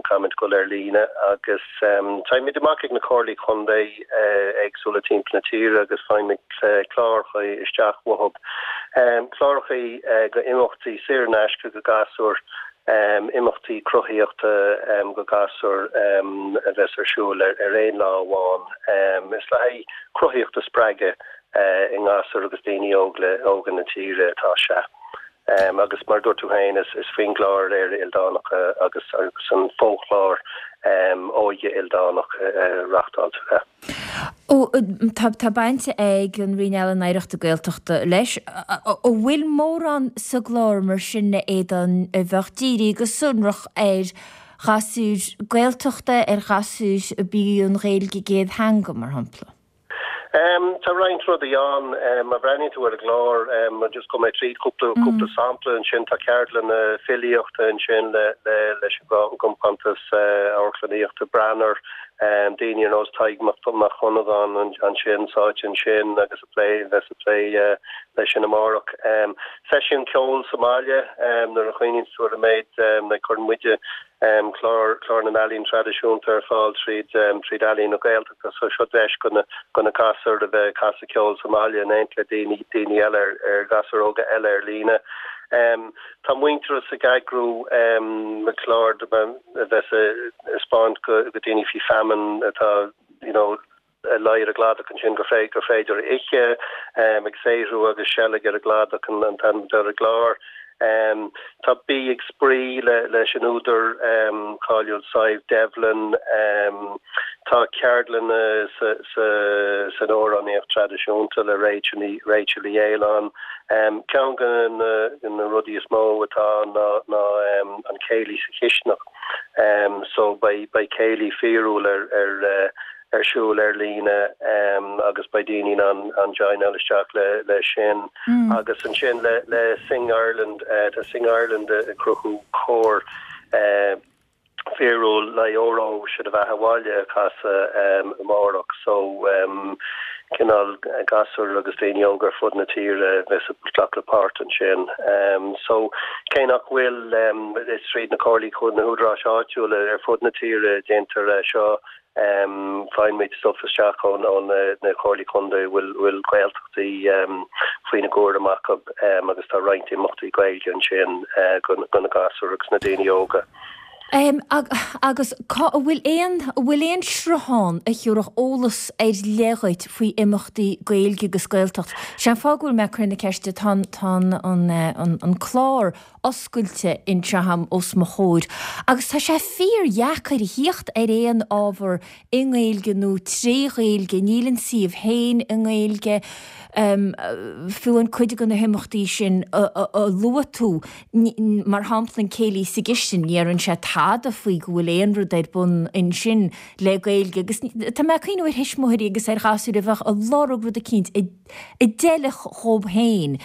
caithfimid dul ar líne agus téimid amach ag na Comhairlí Contae éagsúla timpeall na tíre agus faighimid cláracha isteach uathu. Cláracha go imeachtaí saor in aisce go gasúir imeachtaí cruthaíochta go gasúir a bheas ar siúl ar aon lá amháin. Is le haghaidh cruthaíocht a spreagadh i ngasúir agus daoine óga na tíre atá sé. Agus mar a dúirt tú féin, is faoin gclár Éire Ildánach agus an fo-chlár Óige Ildánach a reáchtáiltear é. Ó, tá, tá baint ag an Roinn Ealaíon Oidhreachta Gaeltachta leis. An bhfuil mórán sa gclár mar sin, a Aodáin, a bheadh dírithe go sonrach ar ghasúir Gaeltachta, ar ghasúir a b'í an Ghaeilge a gcéad theanga, mar shampla? Tá roinnt rudaí ann. Má bhreathnaíonn tú ar an gclár, just gabhfaidh mé tríd cúpla, cúpla sampla ansin. Tá ceardlanna filíochta ansin le, le, leis an gcompántas amharclannaíochta Branar. Daoine ar nós Tadhg Mac Dhonnagáin ansin, sáite ansin agus ag plé, bheas ag plé leis sin amárach. Seisiún ceoil sa mbaile, nuair a chuimhníonn tú ar an méid, like cuireann muide clár, clár na n-ealaíon traidisiúnta ar fáil tríd, tríd Ealaín na Gaeltachta so seo deis go na, go na gasúir a bheith ag casadh ceoil sa mbaile in éineacht le daoine, daoine eile ar, ar gasúir óga eile ar líne. Tá Muintearas ag eagrú clár a bheas ag 'spáint go daoine faoi feamainn atá you know ag luí ar an gcladach ansin gur féidir a ithe, ag saothrú agus seilg ar an gcladach an t-ainm atá ar an gclár. Tá Bí ag Spraoi leis an údar cáiliúil Sadhbh Devlin. Tá ceardlanna san amhránaíocht traidisiúnta le Rachel Uí Fhaoláin. Ceann de na rudaí is mó atá ann ná an céilí sa chisteanach. So beidh céilí fíorúil ar ar siúl ar líne agus beidh daoine in ann joineáil isteach le sin. Agus ansin le Sing Ireland, tá Sing Ireland ag cruthú cór fíorúil le Óró Sé do Bheatha 'Bhaile a chasadh amárach. So cineál gasúir agus daoine óga ar fud na tíre a bheas ag glacadh páirt ansin. So cé nach bhfuil, is tríd na comhairlí, na húdaráis áitiúla ar fud na tíre a déantar é seo, Faigheann muid stuif isteach ó na Comhairlí Contae a bhfuil Gaeltachtaí faoina gcúram acu agus tá roinnt imeachtaí Gaeilge ansin do na gasúir agus na daoine óga. Agus cá, an bhfuil aon, an bhfuil aon sruthán a thiúrfadh eolas ar leith dhuit faoi imeachtaí Gaeilge agus Gaeltacht? Sé an fáth go bhfuil mé ag cur na ceiste, tá an, tá an, an clár oscailte anseo agam os mo chomhair agus tá sé fíor-dheacair a thíocht ar aon ábhar i nGaeilge nó tré Ghaeilge, níl an suíomh féin i nGaeilge, fiú an cuid de na himeachtaí sin a luaigh tú, mar shampla an Céilí sa gCistin, ní deireann sé tada faoi go bhfuil aon rud ar bun ansin le Gaeilge agus tá mé ag cuimhneamh ar thuismitheoirí agus ar ghasúir a bheadh ag lorg rud eicínt a a d'fheilfeadh dhób féin,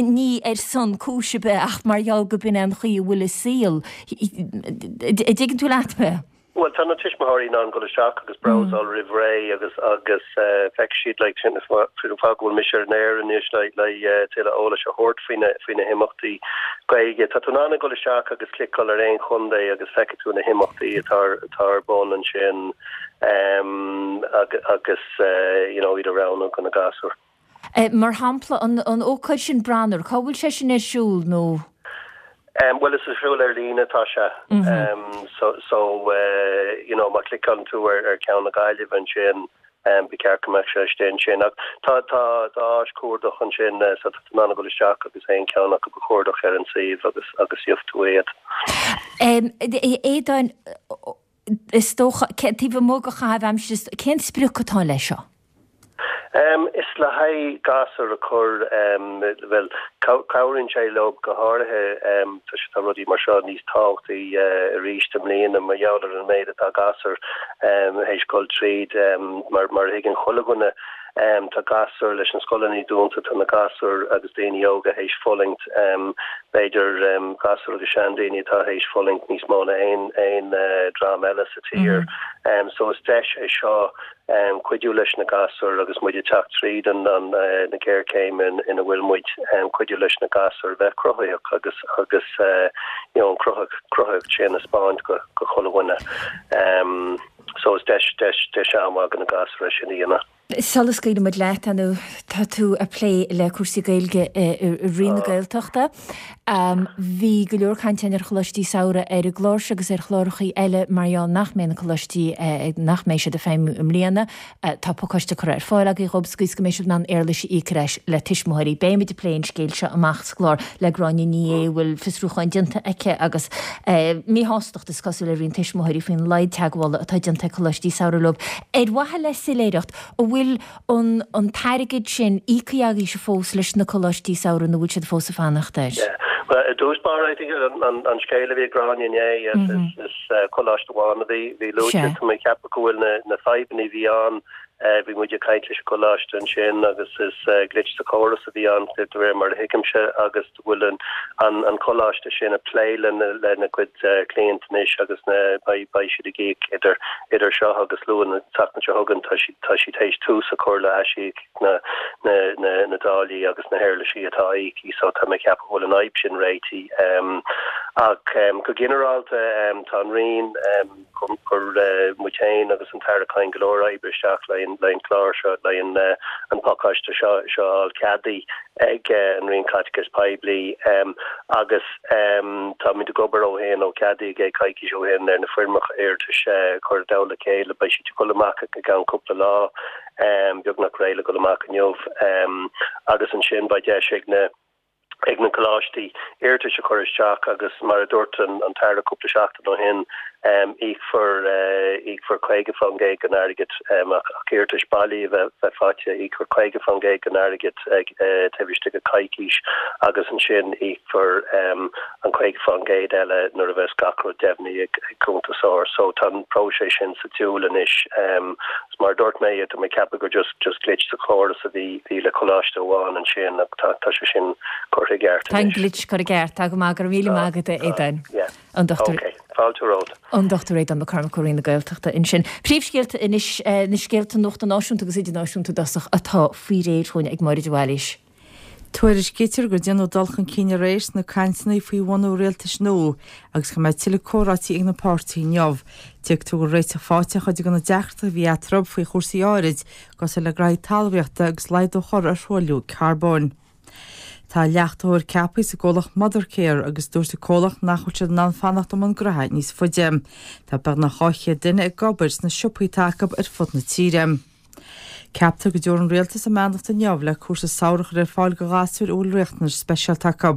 ní ar son cúis ar bith ach mar gheall go b'in é an chaoi a bhfuil an saol. An dtuigeann tú leat mé? Bhuel, tá na tuismitheoirí in ann dul isteach agus brabhsáil roimh ré agus agus feicfidh siad like sin an fáth go bhfuil mise ar an aer anois le le tuilleadh eolais a thabhairt faoi na faoi na himeachtaí Gaeilge. Tá tú in ann a dhul isteach agus cliceáil ar aon chontae agus feicfidh tú na himeachtaí atá atá ar bun ansin agus you know iad a roghnú do na gasúir. Mar shampla, an ócáid sin Branar, cá bhfuil sé sin ar siúl nó? Bhuel is ar siúl ar líne atá sé. So so you know má chliceálann tú ar ar ceann na Gaillimhe ansin ba cheart go mbeadh sé istigh ansin. Ach tá tá tá áis cuardach ansin so tá tú in ann a dhul isteach agus aon cheann acu a chuardach ar an suíomh agus agus gheobhaidh tú iad. Aodáin, Is dócha, taobh amuigh de chaitheamh aimsire, cén sprioc atá leis seo? Is le haghaidh gasúir a chur, bhuel, cabhraíonn sé leo go háirithe toisc tá rudaí mar seo níos tábhachtaí arís i mbliana mar gheall ar an méid atá gasúir théis dul tríd mar a thuigeann chuile dhuine. Tá gasúir leis na scoileanna dúnta, tá na gasúir agus daoine óga théis fulaingt, b'fhéidir gasúir agus seandaoine atá théis fulaingt níos mó ná aon aon dream eile sa tír. So is deis é seo cuidiú leis na gasúir agus muid ag teacht tríd an na géarchéim ina bhfuil muid, cuidiú leis na gasúir bheith cruthaitheach agus agus you know an cruthaitheacht sin a 'speáint go go chuile dhuine. So is deis, deis, deis an-mhaith do na gasúir é sin a dhéanamh. Sula scaoilfidh muid leat, ar ndóigh, tá tú ag plé le cúrsaí Gaeilge i Roinn na Gaeltachta. Bhí go leor cainte ar choláistí samhraidh ar an gclár seo agus ar chlárachaí eile mar gheall nach mbeidh na coláistí, nach mbeidh siad ag feidhmiú i mbliana. Tá pacáiste curtha ar fáil agaibh dhóibh sa gcaoi is go mbeidh siad in ann éarlais a íoc ar ais le tuismitheoirí. Beidh muid ag plé an scéil seo amach sa gclár le Gráinne Ní Aodha a bhfuil fiosrúchán déanta aici agus míshástacht is cosúil ar roinnt tuismitheoirí faoin laghad teagmhála atá déanta ag coláistí samhraidh leo. Ar mhaithe le soiléireacht, an bhfuil an an t-airgead sin íoctha agaibhse fós leis na coláistí samhraidh nó bhfuil siad fós ag fanacht air? Yeah. Well, i dtús báire, I think an an scéal a bhí ag Gráinne inné is is coláiste amháin a bhí bhí luaite. Tá mé ag ceapadh go bhfuil na na fadhbanna a bhí ann, bhí muid ag caint leis an gcoláiste ansin agus is glitch sa chóras a bhí ann de réir mar a thuigimse agus go bhfuil an coláiste sin ag plé lena gcuid cliant anois agus beidh siad ag íoc idir idir seo agus Luan na seachtaine seo chugainn. Tá siad tá siad théis tús a chur le aisíoc na na na dtáillí agus na héarlaisí atá íoctha so tá mé ag ceapadh go bhfuil an fhadhb sin réitithe. Ach go ginearálta tá an Roinn, chuir muid féin agus an tAire Kyne go leor oibre isteach le an clár seo, le an pacáiste seo a fháil ceadaithe ag an Roinn Caiteachais Poiblí agus táimid ag obair ó shin, ó ceadaíodh é coicís ó shin, ar na foirmeacha iarratais a chur i dtoll a chéile. Beidh siad ag dul amach i gceann cúpla lá, beagnach réidh le dul amach inniu agus ansin beidh deis ag na. ag na coláistí iarratais a chur isteach agus mar a dúirt an tAire cúpla seachtain ó shin, íocfar íocfar 50% den airgead ach iarratais bailí a bheith faighte, íocfar 50% den airgead taobh istigh de choicís agus ansin íocfar an 50% eile nuair a bheas gach rud deimhnithe ag cuntasóir. So tá an próiseas sin sa tsiúl anois. Mar a dúirt mé, tá mé ag ceapadh gur just just glitch sa chóras a bhí bhí le coláiste amháin ansin ach tá tá sé sin curtha i gceart Tá an anois. glitch curtha i gceart. Tá go maith, go raibh míle maith agat, a Aodáin. Yeah. An Dr. Ok. Fáilte romhat. An Dr. Aodán Mac Cormaic ó Roinn na Gaeltachta ansin. Príomhscéalta anois, na scéalta nuachta náisiúnta agus idirnáisiúnta i dtosach atá faoi réir chugainn ag Máire de Bhailís. Tuairiscítear gur déanadh dul chun cinn aréir sna cainteanna faoi bhunú rialtais nua agus go mbeidh tuilleadh comhráití ag na páirtithe inniu. Tuigtear go bhfuil réiteach faighte ar chuid de na deacrachtaí a bhí eatarthu faoi chúrsaí áirid, cosúil le graithí talmhaíochta agus laghdú a chur ar thruailliú carbóin. Tá leachtaitheoir ceaptha sa gcomhlacht Mothercare agus dúirt an comhlacht nach bhfuil siad in ann fanacht i mbun graithe níos faide. Tá beagnach 200 duine ag obair sna siopaí atá acu ar fud na tíre. Ceaptar go dtabharfaidh an Rialtas a mbeannacht inniu le cúrsa samhraidh a chur ar fáil do ghasúir a bhfuil riachtanais speisialta acu.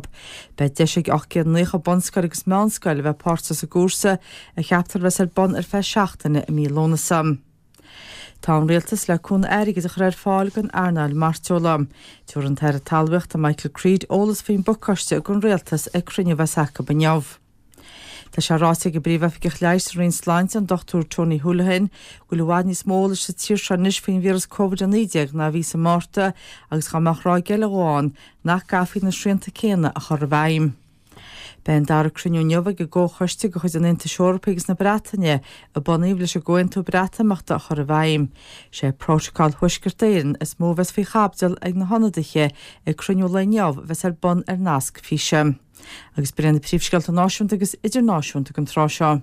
Beidh deis ag 890 bunscoil agus meánscoil a bheith páirteach sa gcúrsa, a cheaptar a bheas ar bun ar feadh seachtaine i mí Lúnasa. Tá an Rialtas le cúnamh airgid a chur ar fáil don earnáil mairteola. Tabharfaidh an tAire Talmhaíochta Michael Creed eolas faoin bpacáiste don Rialtas ag cruinniú a bheas acu inniu. Tá sé ráite ag an bPríomh-Oifigeach Leighis sa Roinn Sláinte, an Dr Tony Holohan, go bhfuil i bhfad níos mó eolais sa tír seo anois faoin víreas Covid-19 ná a bhí sa Márta agus dá mbeadh ráig eile dhó ann, nach gcaithfí na srianta céanna a chur i bhfeidhm. Beidh an dara cruinniú inniu ag an gComhchoiste de chuid an Aontais Eorpaigh agus na Breataine a bunaíodh leis an gComhaontú Breatimeachta a chur i bhfeidhm. Sé Prótacal Thuaisceart Éireann is mó a bheas faoi chaibidil ag na hionadaithe ag cruinniú lae inniu a bheas ar bun ar nasc físe. Agus b'in iad na príomhscéalta náisiúnta agus idirnáisiúnta don tráth seo.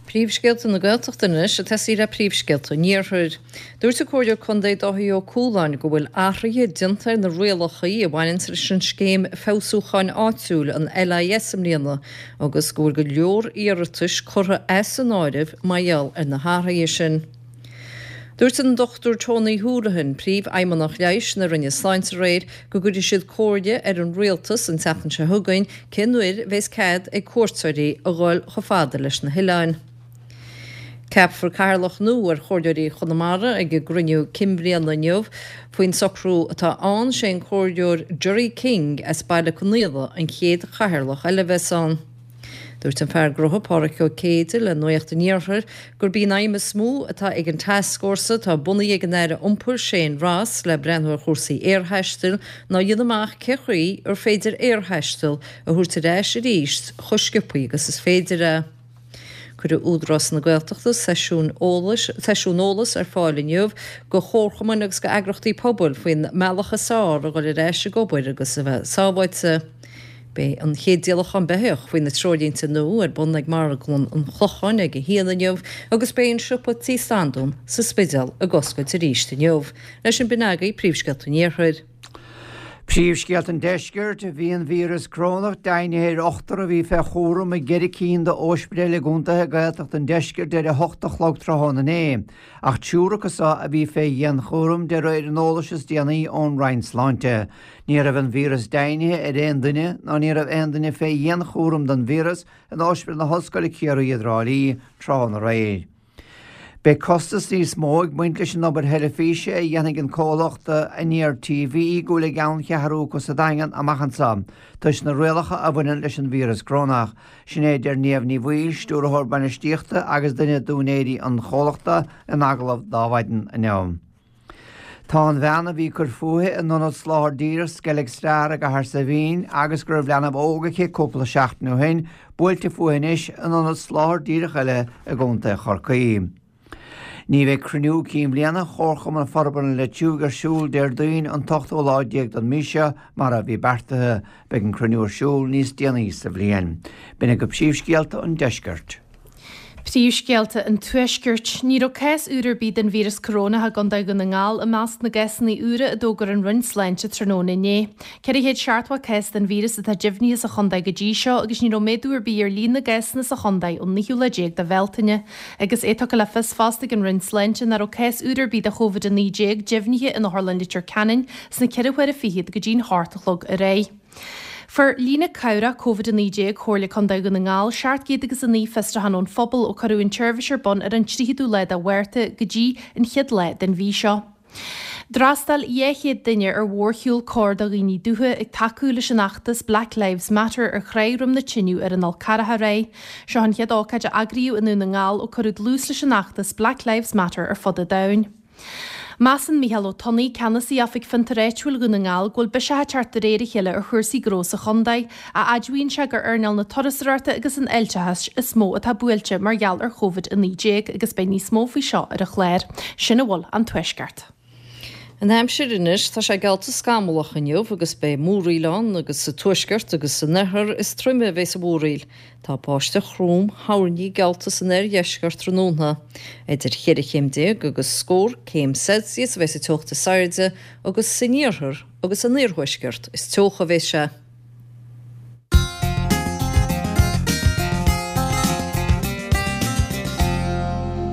Príomhscéalta na Gaeltachta anois ag tosaí le príomhscéalta an Iarthair. Dúirt an Comhairleoir Contae Dáithí Ó Cualáin go bhfuil athruithe déanta ar na rialacha a bhaineanns leis an Scéim Feabhsúcháin Áitiúil, an LIS, i mbliana agus go bhfuil go leor iarratais curtha as an áireamh mar gheall ar na hathruithe sin. Dúirt an Dr Tony Holohan, Príomhfheidhmeannach Leighis na Roinne Sláinte aréir go gcuirfidh siad comhairle ar an Rialtas an tseachtain seo chugainn cén uair a bheas cead ag cuairteoirí a dhul chomh fada leis na hoileáin. Ceapfar cathaoirleach nua ar Chomhairleoirí Chonamara ag a gcruinniú cinn bhliana inniu. Faoin socrú atá ann, sé an Comhairleoir Gerry King as Baile Conaola an chéad chathaoirleach eile a bheas ann. Dúirt an fear gnótha Páraic Ó Céide le Nuacht an Iarthair gurb í an aidhm is mó atá ag an tascfhórsa atá bunaithe ag an Aire Iompair Shane Ross le breathnú ar chúrsaí aerthaistil ná a dhéanamh amach cé chaoi ar féidir aerthaisteal a thabhairt ar ais arís chomh sciobthaí agus is féidir é. Cuirfidh Údarás na Gaeltachta seisiún eolais ar fáil inniu do chomharchumainn agus do eagrachtaí pobail faoin mbealach is fearr a dhul ar ais ag obair agus a bheith sábháilte. Beidh an chéad díolachán beithíoch faoi na treoirlínte nua ar bun ag Marglann an Chlocháin ag a haon inniu agus beidh an siopa Tí Standún sa Spidéal ag oscailt arís inniu. Leis sin b'in agaibh Príomhscéalta an Iarthair. Príomhscéalta an Deiscirt, Bhí an víreas corónach deimhnithe ar ochtar a bhí fé chúram i gceithre cinn d'óispidéil i gcontaetha Gaeltachta an Deiscirt ar a hocht a chlog tráthnóna inné, ach triúr acu so a bhí fé dhianchúram de réir an eolais is déanaí ón Roinn Sláinte. Ní raibh an víreas deimhnithe ar aon duine ná ní raibh aon duine fé dhianchúram don víreas in Ospidéal na hOllscoile Ciarraí i dTrá Lí tráthnóna aréir. Beidh costas níos mó ag baint leis an obair theilifíse a dhéanfaidh an comhlacht Aniar TV go bhfuil a gceanncheathrú acu sa Daingean amach anseo toisc na rialacha a bhaineann leis an víreas corónach. Sin é a deir Niamh Ní Bhaoill, Stiúrthóir Bainistíochta agus duine d'úinéirí an chomhlachta in agallamh d'Adhmhaidin inniu. Tá an bhean a bhí ag cur fúithi in ionad Soláthair Díreach Skellig Star i gCathair Saidhbhín agus go raibh leanbh óg aici cúpla seachtain ó shin, buailte fúithi anois in ionad Soláthair Díreach eile i gContae Chorcaí. Ní bheidh cruinniú cinn bhliana Chomharchumann Forbartha an Leitriúigh ar siúl Déardaoin an t-ochtú lá déag den mhí seo mar a bhí beartaithe. Beidh an cruinniú ar siúl níos déanaí sa bhliain. B'in agaibh príomhscéalta an deiscirt. Príomhscéalta an Tuaiscirt. Ní raibh cás úr ar bith den víreas corónach i gContae Dhún na nGall i measc na gcásanna úra a d'fhógair an Roinn Sláinte tráthnóna inné. 470 cás den víreas atá deimhnithe sa chontae go dtí seo agus ní raibh méadú ar bith ar líon na gcásanna sa chontae ón naoú lá déag de Bhealtaine. Agus é tugtha le fios fosta ag an Roinn Sláinte nach raibh cás úr ar bith de Covid-19 deimhnithe in Otharlann Leitir Ceanainn sna ceithre huaire fichead go dtí'n hocht a chlog aréir. Fuair líne cabhrach Covid-19 Chomhairle Contae Dhún na nGall 709 fiosrúchán ón phobal ó cuireadh an tseirbhís ar bun ar an 30ú lá de Mhárta go dtí an chéad lá den mhí seo. D'fhreastail 200 duine ar mhórshiúl cóir do dhaoine dubha ag tacú leis an fheachtas Black Lives Matter ar Thráigh Dhroim na Tine ar an Fhol Carrach aréir. Seo an chéad ócáid a eagraíodh i nDún na nGall ó cuireadh dlús leis an fheachtas Black Lives Matter ar fud an domhain. Measann Mícheál Ó Tonnaigh, Ceannasaí Oifig Fiontar Áitiúil Dhún na nGall, go bhfuil biseach ag teacht de réir a chéile ar chúrsaí gnó sa chontae, a admhaíonn sé gur earnáil na turasóireachta agus an fháilteachais is mó atá buailte mar gheall ar Covid-19 agus beidh níos mó faoi seo ar an chlár. Sin a bhfuil ón Tuaisceart. An aimsir anois, tá sé geallta scamallach inniu agus beidh múraíl ann agus sa tuaisceart agus san oirthear is troime a bheas an mhúraíl. Tá báisteach throm thoirní geallta san oirdheisceart tráthnóna. Idir cheithre chéim déag agus scór céim Celsius a bheas an teocht is airde agus san iarthar agus san iarthuaisceart is teocha a bheas sé.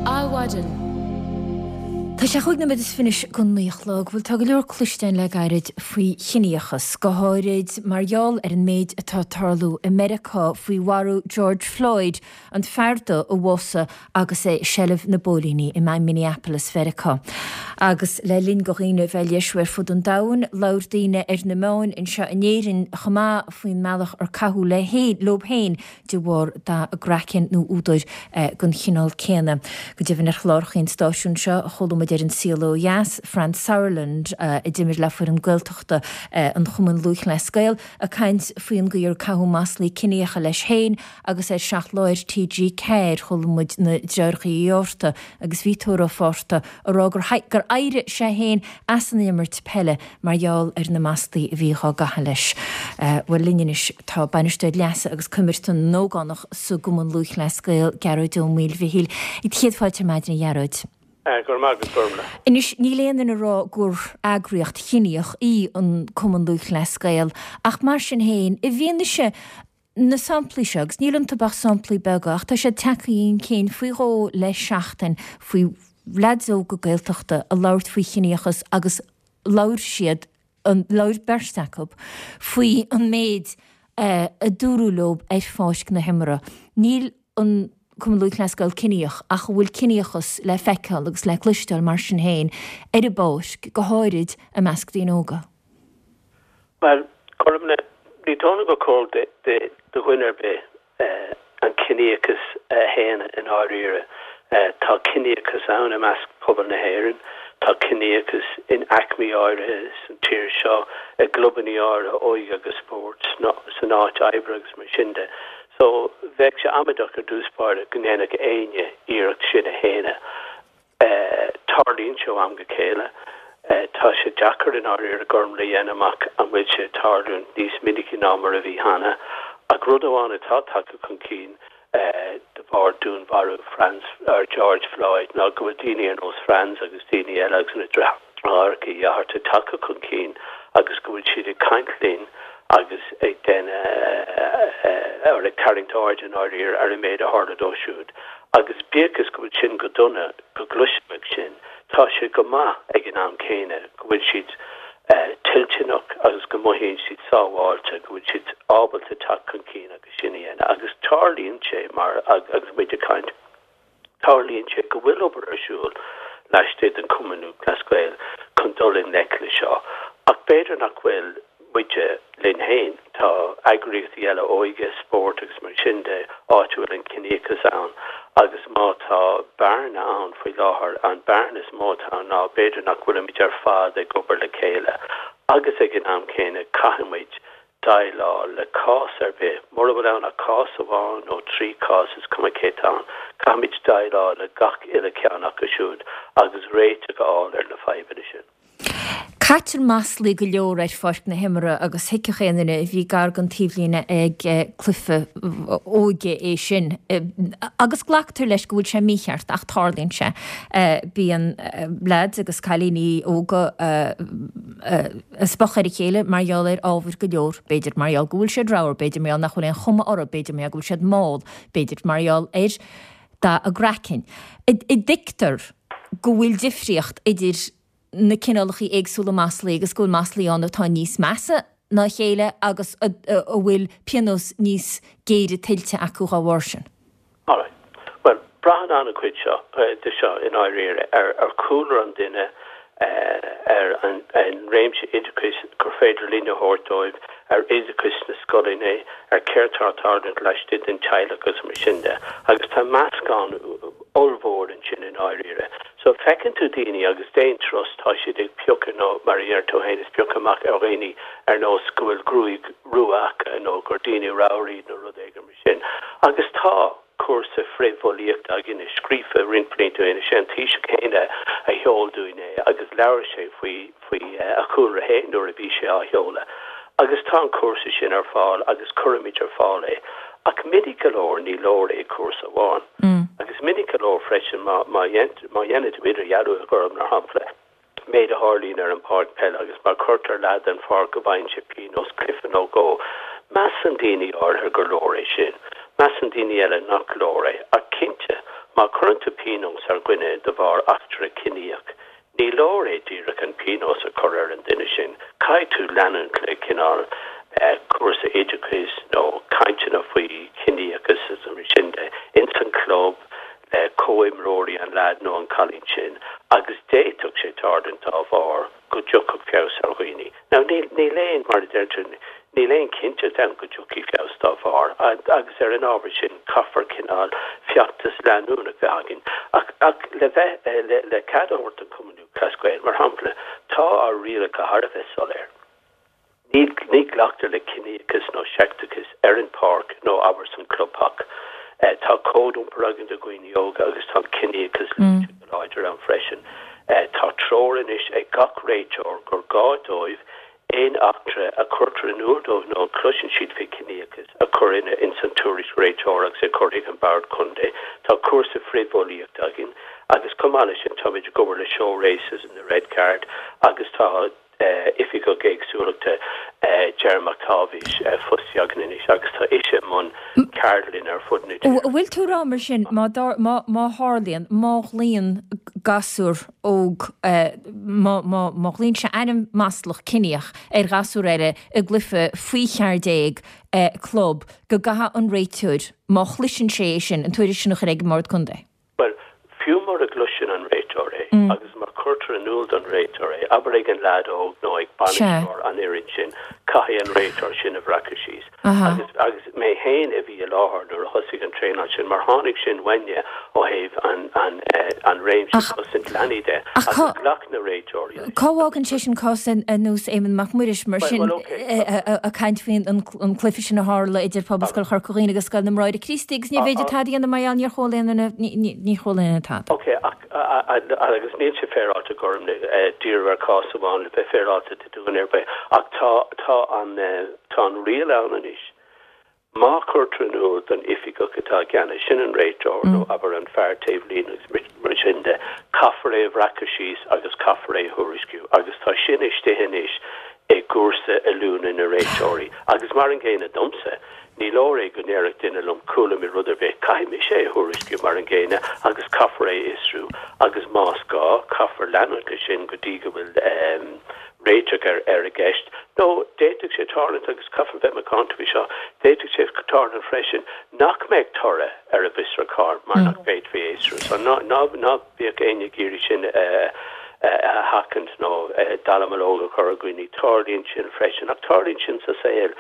Adhmhaidin. Tá sé chúig nóiméad is fiche anois go naoi a chlog. Bhuel, tá go leor cloiste againn le gairid faoi chiníochas, go háirid mar gheall ar an méid atá ag tarlú i Meiriceá faoi mharú George Floyd, an fear dubh a bhásaigh agus é i seilbh na bpóilíní i Minneapolis, Mheiriceá. Agus le linn do dhaoine bheith ag léirsiú ar fud an domhain, labhair daoine ar na meáin anseo in Éirinn chomh maith faoin mbealach ar caitheadh leo féin de bharr dath a gcraicinn nó údair den chineál céanna. Go deimhin ar chláracha an stáisiúin seo chuala muid ar An Saol Ó Dheas, Franz Sauerland, a d'imir le foireann Gaeltachta an Chumainn Lúthchleas Gael, ag caint faoin gcaoi ar caitheadh maslaí ciníocha leis féin agus ar 7 Lá ar TG4 chuala muid na deartháireacha Uí Fhátharta agus Viotóir Ó Fátharta ag rá gur éirigh sé féin as an imirt peile mar gheall ar na maslaí a bhí dhá gcaitheamh leis. Bhuel, linn anois tá Bainisteoir Leasa agus Coimirce na nÓgánach sa gCumann Lúthchleas Gael, Gearóid Ó Maoilmhichíl. Céad fáilte ar maidin a Ghearóid. Go raibh maith agat, Gormlaith. Anois, níl aon duine ag rá gur eagraíocht chiníoch í an Cumann Lúthchleas Gael, ach mar sin féin, i bhfianaise na samplaí seo, agus níl iontu ach samplaí beaga, ach tá siad tagtha chun cinn faoi dhó le seachtain faoi leaids óga Gaeltachta ag labhairt faoi chiníochas agus labhair siad, labhair beirt acu, faoi an méid a dúradh leo ar pháirc na himeartha. Níl an Cumann Lúthchleas Gael ciníoch ach an bhfuil ciníochas le feiceáil agus le cloisteáil mar sin féin ar an bpáirc, go háirid i measc daoine óga? Bhuel, Gormlaith, ní dóigh liom gur cóir do dhuine ar bith an ciníochas a shéanadh i ndáiríre. Tá ciníochas ann i measc pobal na hÉireann, tá ciníochas in aicmí áirithe san tír seo, i gclubannaí áirithe óige agus spóirt, san áit oibre agus mar sin de. So, bheadh sé amaideach ar dtús báire go ndéanfadh éinne iarracht sin a shéanadh. Tarlaíonn sé ó am go chéile. Tá sé deacair i ndáiríre Gormlaith a dhéanamh amach an bhfuil sé ag tarlúint níos minicí ná mar a bhí cheana. Ach rud amháin atá tagtha chun cinn de bharr dúnmharú Franz, or George Floyd ná go bhfuil daoine ar nós Franz agus daoine eile agus na deartháireacha Uí Fhátharta tagtha chun cinn agus go bhfuil siad ag caint linn agus ag déanamh, or ag tarraingt aird i ndáiríre ar an méid a tharla dó siúd. Agus bíodh is go bhfuil sin go dona go gcloisfeadh sin, tá sé go maith ag an am céanna go bhfuil siad toilteanach agus go mothaíonn siad sábháilte, go bhfuil siad ábalta teacht chun cinn agus sin a dhéanamh. Agus tarlaíonn sé mar, agus muid ag caint, tarlaíonn sé go bhfuil obair ar siúl laistigh den Chumann Lúthchleas Gael chun dul i ngleic le seo. Ach b'fhéidir nach bhfuil. muide linn féin. Tá eagraíochtaí eile óige, spóirt agus mar sin de, áit a bhfuil an ciníochas ann agus má tá bearna ann faoi láthair, an bearna is mó atá ann ná b'fhéidir nach bhfuilimid ar fad ag obair le chéile agus ag an am céanna caithfidh muid. déileáil le cás ar bith, mura bhfuil ann ach cás amháin nó 3 chás, is cuma cé atá ann, caithfimid déileáil le gach uile cheann acu siúd agus réiteach a fháil ar na fadhbanna sin. Caitear maslaí go leor ar pháirc na himeartha agus thuigfeadh aon duine a bhí gar don taobhlíne ag cluiche óige é sin. Agus glactar leis go bhfuil sé mícheart ach tarlaíonn sé. Bíonn leaids agus cailíní óga ag spochadh ar a chéile mar gheall ar ábhair go leor, b'fhéidir mar gheall go bhfuil siad ramhar, b'fhéidir mar gheall nach bhfuil aon chuma orthu, b'fhéidir mar gheall go bhfuil siad mall, b'fhéidir mar gheall ar dath a gcraicinn. An dtuigtear go bhfuil difríocht idir na cineálacha éagsúla maslaí agus go bhfuil maslaí ann atá níos measa ná a chéile agus a bhfuil pionós níos géire tuillte acu dá bharr sin. Alright. Bhuel, braitheann an-chuid seo, de seo i ndáiríre, ar chúlra an duine, ar an réimse oideachais gur féidir linn a thabhairt dóibh, ar oideachas sna scoileanna, ar céard tá ag tarlúint laistigh den teaghlach agus mar sin de. Agus tá meascán ollmhór ansin i ndáiríre. So feiceann tú daoine agus d'aon turas tá siad ag piocadh nó mar a deir tú féin is piocadh amach ar dhaoine ar nós go bhfuil gruaig rua acu nó gur daoine ramhar iad nó rud éigin mar sin. Agus tá cúrsa frithbhulaíochta againne scríofa roinnt blianta ó shin, is é an Taoiseach féin a sheol dúinn é agus labhair sé faoi faoi a chúlra féin nuair a bhí sé á sheoladh. Agus tá an cúrsa sin ar fáil agus cuirimid ar fáil é. Ach minic go leor ní leor é cúrsa amháin. Agus minic go leor freisin má má dhéanann tú idirdhealú a Ghorm mar shampla, méid a tharlaíonn ar an bpáirc peile agus má chuirtear leaid den pháirc go bhfaigheann sé pionós cluiche nó dhó, measann daoine áirithe gur leor é sin. Measann daoine eile nach leor é. Ach cinnte, má chuireann tú pionós ar dhuine de bharr eachtra ciníoch, Ní leor é díreach an pionós a chur ar an duine sin, caithfidh tú leanúint le cineál cúrsa oideachais nó cainteanna faoi chiníochas is mar sin de ins an chlub le comhimreoirí an leaid nó an cailín sin agus d'fhéadfadh sé tarlúint dá bharr go dtiocfadh feabhas ar dhaoine. Now níl, níl aon, mar a deir tú, níl aon chinnteacht ann go dtiocfaidh feabhas dá bharr agus ar an ábhar sin caithfear cineál feachtas leanúnach bheith againn. Ach, ach le bheith, le, le cead a thabhairt don Chumann Lúthchleas Gael, mar shampla, tá ár rialacha thar a bheith soiléir. Ní, ní ghlactar le ciníochas nó seicteachas ar an pháirc nó abair san clubtheach. Tá cód iompair againn do dhaoine óga agus tá an ciníochas luaite go láidir ann freisin. Tá treoir anois ag gach réiteoir gur gá dóibh aon eachtra a chuirtear in iúl dóibh nó a chloiseann siad faoi chiníochas a chur in ins an tuairisc réiteora agus é a chur chuig an Bord Contae. Tá cúrsa frithbhulaíochta againn agus chomh maith leis sin táimid ag obair le Show Racism the Red Card agus tá Oifigeach Éagsúlachta Ger Mac Táibhis fostaithe againn anois agus tá ise i mbun ceardlann ar fud na tíre. An bhfuil tú ag rá mar sin, má má tharlaíonn, má ghlaonn gasúr óg, má má ghlaonn sé ainm maslach ciníoch ar ghasúr eile i gcluiche faoi 14 club, go gcaithfidh an réiteoir, má chloiseann sé é sin, an tuairisc sin a chur ag an mBord Contae? Bhuel, fiú mura gcloiseann an réiteoir é, agus má chuirtear in iúl don réiteoir é, abair ag an leaid óg nó ag bainisteoir an fhoireann sin, caithfidh an réiteoir sin a bhreacadh síos. Agus, agus mé féin a bhí i láthair nuair a thosaigh an traenáil sin, mar tháinig sin uainne ó thaobh an, an, an réimse cosaint leanaí de, agus ghlac na réiteoirí leis. Cá bhfágann sé sin cás ar nós Éamonn Mac Muiris, mar sin, ag caint faoin an cluiche sin a tharla idir Pobalscoil Chorca Dhuibhne agus Scoil na mBráithre Críostaí agus níorbh fhéidir tada a dhéanamh mar gheall níor chuala aon duine, níor chuala aon duine tada. Ok, ach, agus níl sé féaráilte Gorm, díriú ar chás amháin le bheith féaráilte do dhuine ar bith, ach tá, tá an, tá an riail ann anois Má chuirtear in iúl don oifigeach atá i gceannas, sin an réiteoir nó abair an fear taobh líne agus mar sin de, caithfear é a bhreacadh síos agus caithfear é a thuairisciú agus tá sin istigh anois i gcúrsa oiliúna na réiteoirí. Agus mar an gcéanna domsa, ní leor é go ndéarfadh duine liom chuala mé rud ar bith, caithfidh mise é a thuairisciú mar an gcéanna agus caithfear é a fhiosrú agus más gá, caithfear leanúint leis sin go dtí go bhfuil réiteach ar ar an gceist. Nó d'fhéadfadh sé tarlúint, agus caithfear bheith macánta faoi seo, d'fhéadfadh sé tarlúint freisin nach mbeadh toradh ar an bhfiosrúchán mar nach bhféadfaí é a fhiosrú. So ná ná ná bíodh éinne ag iarraidh sin a a sheachaint nó dallamullóg a chur ar dhaoine. Tarlaíonn sin freisin. Ach tarlaíonn sin sa saol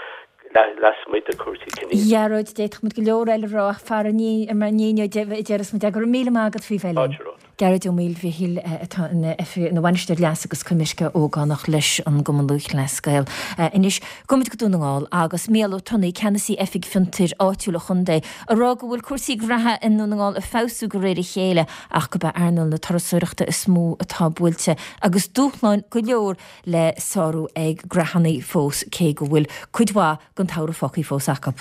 lasmuigh de chúrsaí ciníochais. A Ghearóid, d'fhéadfadh muid go leor eile a rá ach fara mar a déarfas muid. Go raibh míle maith agat faoi bheith linn. Gearóid Ó Maoilmhichíl atá ina Bhainisteoir Leasa agus Coimirce Ógánach leis an gCumann Lúthchleas Gael. Anois, gabhfaimid go Dún na nGall agus Mícheál Ó Tonnaigh, Ceannasaí Oifig Fiontair Áitiúil an Chontae, ag rá go bhfuil cúrsaí graithe i nDún na nGall ag feabhsú de réir a chéile ach gurb é earnáil na turasóireachta is mó atá buailte agus dúshláin go leor le sárú ag graitheanna fós cé go bhfuil cuid mhaith den tsamhradh fágtha fós acu.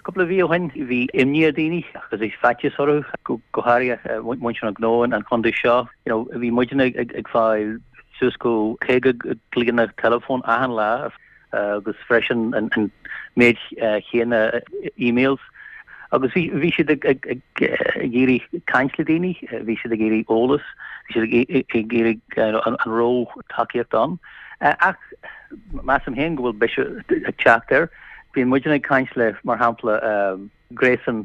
Cúpla mhí ó shin bhí imní ar daoine agus bhí faitíos orthu, go háirithe muintir na gnó an chontae seo. You know, bhí muidne ag fáil suas go 50 glaonna teileafóin achan lá agus freisin an méid chéanna emails. Agus bhí bhí siad ag ag ag iarraidh caint le daoine, bhí siad ag iarraidh eolas, bhí siad ag iarraidh an raibh tacaíocht ann. Ach measaim féin go bhfuil bisiú ag teacht air. Bíonn muidne ag caint le, mar shampla, gréasán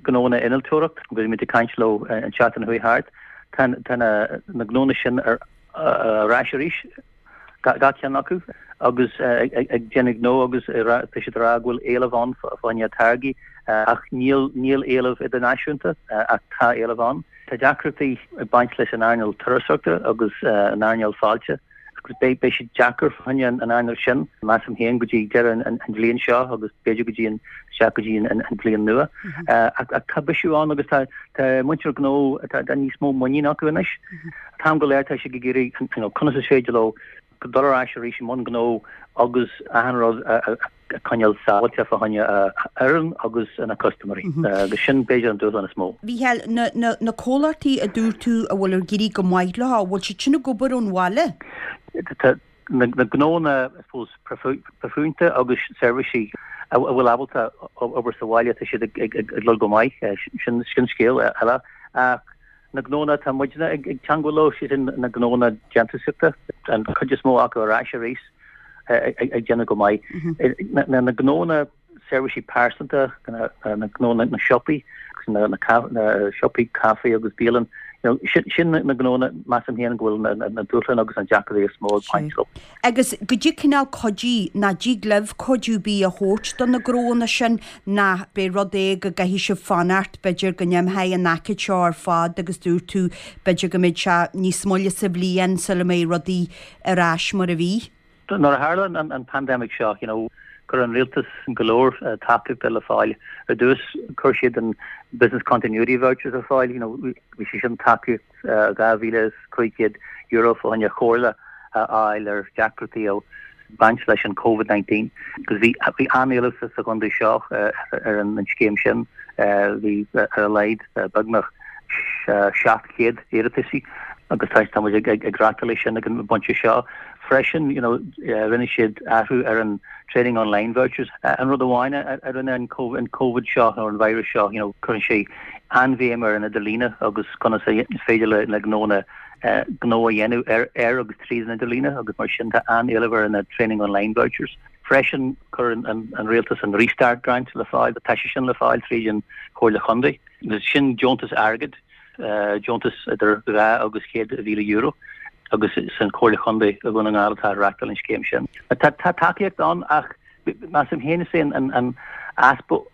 gnónna innealtóireacht, bhí muid ag caint leo an tseachtain a chuaigh thart. Tá na gnónna sin ar ais arís, gach ceann acu, agus ag déanamh gnó agus tá siad ag rá go bhfuil éileamh ann fá choinne táirgí ach níl éileamh idirnáisiúnta ach tá éileamh ann. Tá deacrachtaí ag baint leis an earnáil turasóireachta agus an earnáil fáilte. agus beidh beidh sé deacair fá choinne an earnáil sin, measaim féin, go dtí deireadh an bhliain seo agus b'fhéidir go dtí an isteach go dtí an bhliain nua. Ach tá bisiú ann agus tá tá muintir gnó tá níos mó muinín acu anois. An t-am go léir tá siad ag iarraidh you know conas is féidir leo dul ar ais arís i mbun gnó agus achan rud a a coinneáil sábháilte fá choinne a fhoireann agus na custaiméirí agus sin b'fhéidir an dúshlán is mó. Mhícheáil, na, na, na comhlachtaí a dúirt tú a bhfuil ag éirí go maith leo, an bhfuil siad sin ag obair ón bhaile? Tá na, na gnónna, I suppose, proifisiúnta agus seirbhísí a bhfuil ábalta obair sa bhaile, tá siad ag, ag, ag dul go maith, sin, sin scéal eile. Ach na gnónna atá muidne ag, ag teangmháil leo, sé sin na gnónna déantúsaíochta, an chuid is mó acu ar ais arís. ag déanamh go maith. Na gnónna seirbhísí pearsanta, na gnónna na siopaí, na siopaí caife agus bialann, sin na gnónna measaim féin go bhfuil na dúshláin agus na deacrachtaí is mó ag baint leo. Agus goidé cineál cuidiú, nó dtig libh cuidiú ar bith a thabhairt do na gnónna sin, nó b'é rud é go gcaithfidh sibh fanacht, b'fhéidir go n-imtheoidh an aicíd seo ar fad agus dúirt tú b'fhéidir go mbeidh sé níos moille sa bhliain sula mbeidh rudaí ar ais mar a bhí. Nuair a tharla an pandemic seo, you know, chuir an rialtas go leor tacaíochta le fáil. Ar dtús, chuir siad an Business Continuity Vouchers ar fáil, you know, bhí sé sin tacaíocht €2,500 fá choinne comhairle a fháil ar deacrachtaí a baint leis an Covid-19. Agus bhí bhí an-éileamh sa chontae seo ar an scéim sin, bhí ar a laghad beagnach 700 iarrataisí agus tá tá muid ag ag reachtáil é sin ag an bpointe seo. Freisin, you know, rinne siad athrú ar an training online vouchers. An rud amháin a rinne an Covid seo nó an virus seo, you know, cuireann sé an-bhéim ar an idirlíne agus conas is féidir le le gnónna gnó a dhéanamh ar ar agus tríd an idirlíne agus mar sin tá an-éileamh ar na training online vouchers. Freisin, chuir an an rialtas an Restart Grant le fáil, tá sé sin le fáil tríd an Chomhairle Chontae. Sin deontas airgid, deontas idir €2,000 agus €100,000 agus is an Chomhairle Chontae i Dhún na nGall atá ag reachtáil an scéim sin. Tá tacaíocht ann ach measaim féin is é an easpa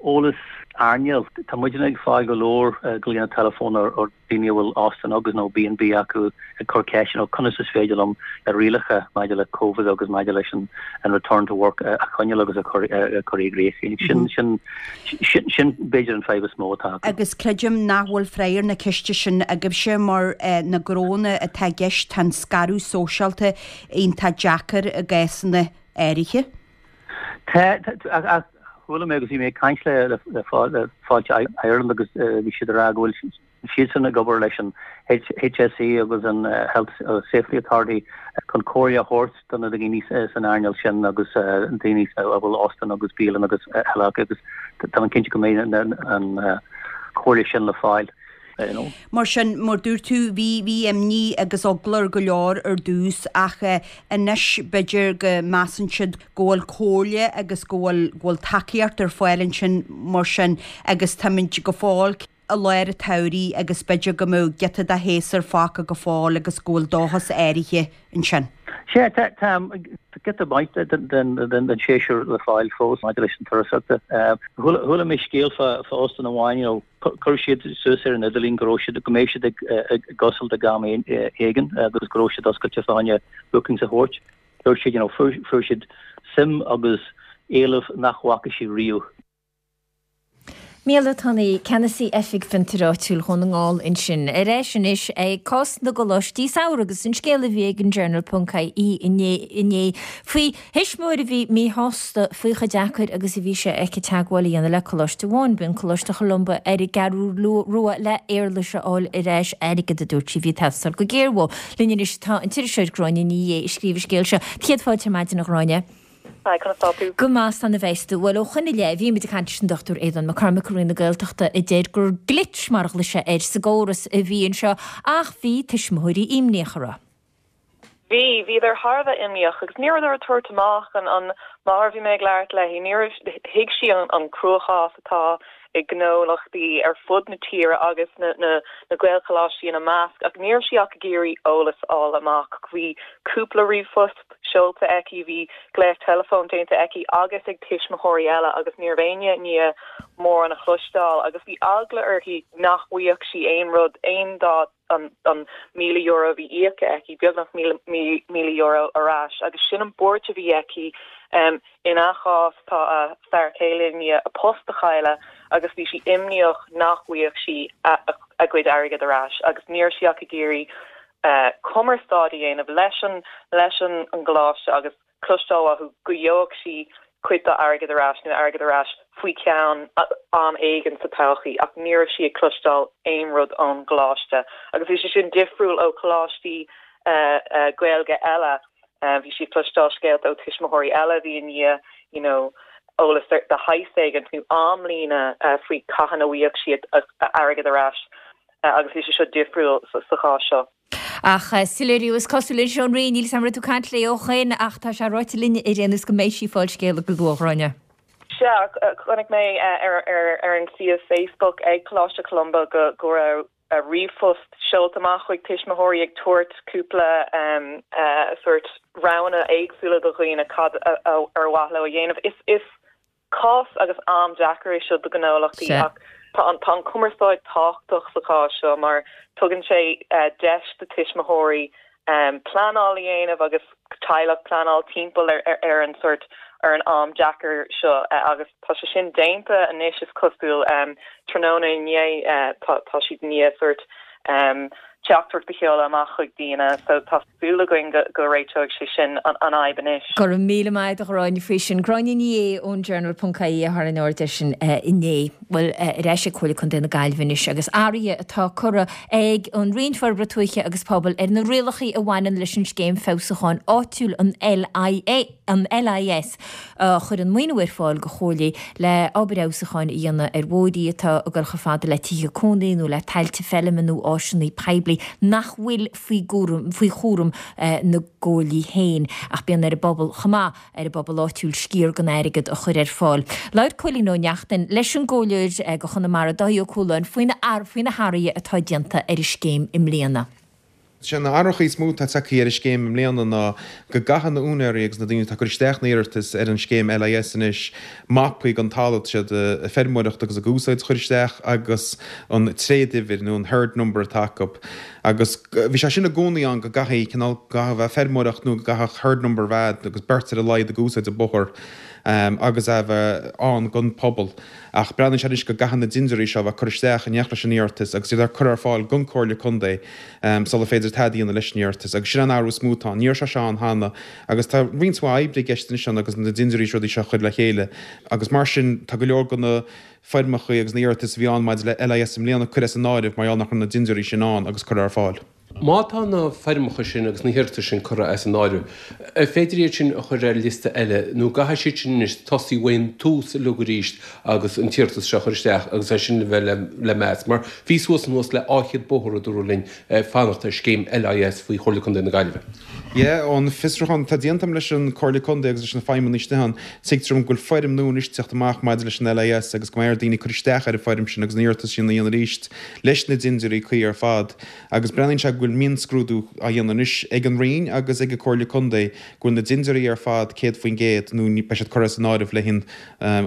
eolas earnáil. Tá muidne ag fáil go leor glaonna teileafóin ó daoine a bhfuil óstán agus nó B&B acu ag cur ceisteanna conas is féidir liom na rialacha maidir le Covid agus maidir leis an return to work a choinneáil agus a chur i gcrích. Sin sin sin b'fhéidir an fadhb is mó atá acu. Agus creidim nach bhfuil freagra ar na ceiste sin agaibhse mar na gnónna atá i gceist tá an scaradh sóisialta iontach deacair i gcásanna áirithe. Tá, ach chuala mé agus bhí mé ag caint le Fáilte Ireland agus bhí siad ag rá go bhfuil siadsan ag obair leis an HSE agus an Health Safety Authority chun comhairle a thabhairt do na daoine san earnáil sin agus daoine a bhfuil óstán agus bialann agus eile acu agus tá mé cinnte go mbeidh an chomhairle sin le fáil. You know. Mar sin, mar dúirt tú, bhí, bhí imní agus eagla ar go leor ar dtús ach anois b'fhéidir go measann siad go bhfuil comhairle agus go bhfuil, go bhfuil tacaíocht ar fáil ansin mar sin agus táimid go fóill i lár an tsamhraidh agus b'fhéidir go mbeadh giota de shéasúr fágtha go fóill agus go bhfuil dóchas áirithe ansin. Sea, tá giota maith den séasúr le fáil fós maidir leis an turasóireacht. Chuala mé scéal fá óstán amháin, you know, chuir siad suas ar an idirlíon go raibh siad, go mbeadh siad ag oscailt ag am éigin agus go raibh siad oscailte fá choinne bookings a thabhairt. Dúirt siad, you know, fuair siad suim agus éileamh nach bhfaca siad riamh. Micheál Ó Tonnaigh, Ceannasaí Oifig Fiontair Áitiúil Dhún na nGall ansin. Ar ais anois ag cás na gcoláistí samhraidh agus an scéal a bhí ag an Journal ponc ie inné faoi thuismitheoir a bhí míshásta faoi chomh deacair agus a bhí sé aici teagmháil a dhéanamh le coláiste amháin, b'in Coláiste Cholumba ar an gCeathrú Rua le éarlais a fháil ar ais, airgead a dúirt sí a bhí ag teastáil go géar uaithi. Linn anois tá an t-iriseoir Gráinne Ní Aodha a scríobh an scéal seo. Céad fáilte ar maidin a Ghráinne. Hi, conas tá tú? Go maith, 's ana mheas tú. Bhuel, ó shoin i leith, bhí muid ag caint leis an Dr Aodhán Mac Cormaic ó Roinn na Gaeltachta a deir gur glitch, mar a ghlaoigh sé air, sa gcóras a bhí anseo ach bhí tuismitheoirí imníoch, an raibh? Bhí, bhíodar thar a bheith imníoch agus ní rabhadar ag tabhairt amach an, an mháthair a bhí mé ag labhairt léi, ní raibh, thuig sí an, an cruachás atá i ngnólachtaí ar fud na tíre agus na, na, na Gaelcholáistí ina measc ach ní raibh sí ach ag iarraidh eolas a fháil amach. Bhí cúpla ríomhphost seolta aici, bhí glaoch teileafóin déanta aici agus ag tuismitheoirí eile agus ní raibh éinne i ndiaidh mórán a chloisteáil agus bhí eagla uirthi nach bhfaigheadh sí aon rud, aon dá an €1,000 a bhí íoctha aici, beagnach €1,000 ar ais agus sin an buairt a bhí aici. Ina chás tá a fear céile i ndiaidh a post a chailleadh agus bhí sí imníoch nach bhfaigheadh sí a cuid airgid ar ais agus ní raibh sí ach ag iarraidh cumarsáid a dhéanamh leis an leis an gcoláiste agus cloisteáil uathu go gheobhadh sí cuid dá airgead ar ais nó airgead ar ais faoi cheann am éigin sa todhchaí ach ní raibh sí ag cloisteáil aon rud ón gcoláiste agus bhí sé sin difriúil ó choláistí Gaeilge eile. Bhí sí ag cloisteáil scéalta ó tuismitheoirí eile a bhí i ndiaidh you know eolas de shaghas éigin nó amlíne faoi cathain a bhfaigheadh siad a airgead ar ais. agus bhí sé seo difriúil sa chás seo. Ach soiléiriú is cosúil anois ón Roinn, níl 'fhios a'm an raibh tú ag caint léi ó shoin ach tá sé ráite linn ar aon nós go mbeidh sí ag fáil scéala go luath, a Ghráinne. Sea, chonaic mé ar an suíomh Facebook ag Coláiste Cholumba go go raibh ríomhphost seolta amach chuig tuismitheoirí ag tabhairt cúpla sórt roghanna éagsúla do dhaoine cad ar mhaith leo a dhéanamh. Is Cás agus am deacair é seo do ghnólachtaí ach tá an tá an cumarsáid tábhachtach sa chás seo mar tugann sé deis do tuismitheoirí pleanáil a dhéanamh agus teaghlach pleanáil timpeall ar an sórt ar an am deacair seo agus tá sé sin déanta anois is cosúil. Tráthnóna inné tá tá siad i ndiaidh sórt teachtaireacht a sheoladh amach chuig daoine so tá súil againn go réiteoidh sé sin an fhadhb anois. Go raibh míle maith agat a Ghráinne faoi sin. Gráinne Ní Aodha ón Journal ponc ie a tharraing aird air sin inné. Bhuel, ar ais ag Comhairle Contae na Gaillimhe anois agus athruithe atá curtha ag an Roinn Forbartha Tuaithe agus Pobail ar na rialacha a bhaineann leis an Scéim Feabhsúcháin Áitiúil, an LIA, an LIS, a chuireann maoiniú ar fáil do chomhairlí le obair fheabhsúcháin a dhéanamh ar bhóithrí atá ag dul chomh fada le tithe cónaí nó le tailte feilme nó áiseanna poiblí nach bhfuil faoi faoi chúram na gcomhairlí féin ach bíonn ar an bpobal chomh maith, ar an bpobal áitiúil sciar den airgead a chur ar fáil. Labhair Cóilín Ó Neachtain leis an gComhairleoir do Chonamara, Dáithí Ó Cualáin, faoi na hathruithe atá déanta ar an scéim i mbliana. Sé na hathruithe is mó atá tagtha ar an scéim i mbliana ná go gcaithfidh na úinéirí agus na daoine atá ag cur isteach na iarratais ar an scéim LIS anois mapaí den talamh atá siad ag feirmeoireacht agus ag úsáid a chur isteach agus an tréaduimhir nó an herd number atá acu. Agus bhí sé sin i gcónaí ann go gcaithfidh cineál, go gcaithfidh a bheith feirmeoireacht nó go gcaithfeadh herd number a bheith agus beirt ar a laghad ag úsáid an bóthar agus é a bheith ann don pobal. Ach breathnaíonn sé anois go gcaithfidh na dintiúirí seo a bheith curtha isteach in éineacht leis an iarratas agus iad á cur ar fáil don Comhairle Contae sula féidir tada a dhéanamh leis an iarratas. Agus sin an athrú is mó atá ann. Ní raibh sé seo ann cheana agus tá roinnt mhaith oibre i gceist anois ann agus na dintiúirí is rudaí seo a chur le chéile agus mar sin tá go leor de na foirmeacha agus na iarratais a bhí ann maidir le LIS i mbliana curtha as an áireamh mar gheall nach raibh na dintiúirí sin ann agus curtha ar fáil. Má tá na foirmeacha sin agus na hiarratais sin curtha as an áireamh, an féidir iad sin a chur ar liosta eile nó an gcaithfidh siad sin anois tosaí ón tús uilig arís agus an t-iarratas seo a chur isteach agus é sin a bheith le meas? Mar bhí suas anuas le 200 bóthar, a dúradh linn, ag fanacht ar scéim LIS faoi Chomhairle Contae na Gaillimhe. Yeah, ón fiosrúchán atá déanta agam leis an Comhairle Contae agus leis na feidhmeannaigh istigh ann, tuigtear dom go bhfuil foirm nua anois ag teacht amach maidir leis an LIS agus go mbeidh ar daoine cur isteach ar an foirm sin agus an iarratas sin a dhéanamh arís leis na dintiúirí cuí ar fad. Agus breathnaíonn sé go bhfuil. go bhfuil mionscrúdú á dhéanamh anois ag an Roinn agus ag an Comhairle Contae go bhfuil na dintiúirí ar fad 100% nó beidh siad curtha as an áireamh le haghaidh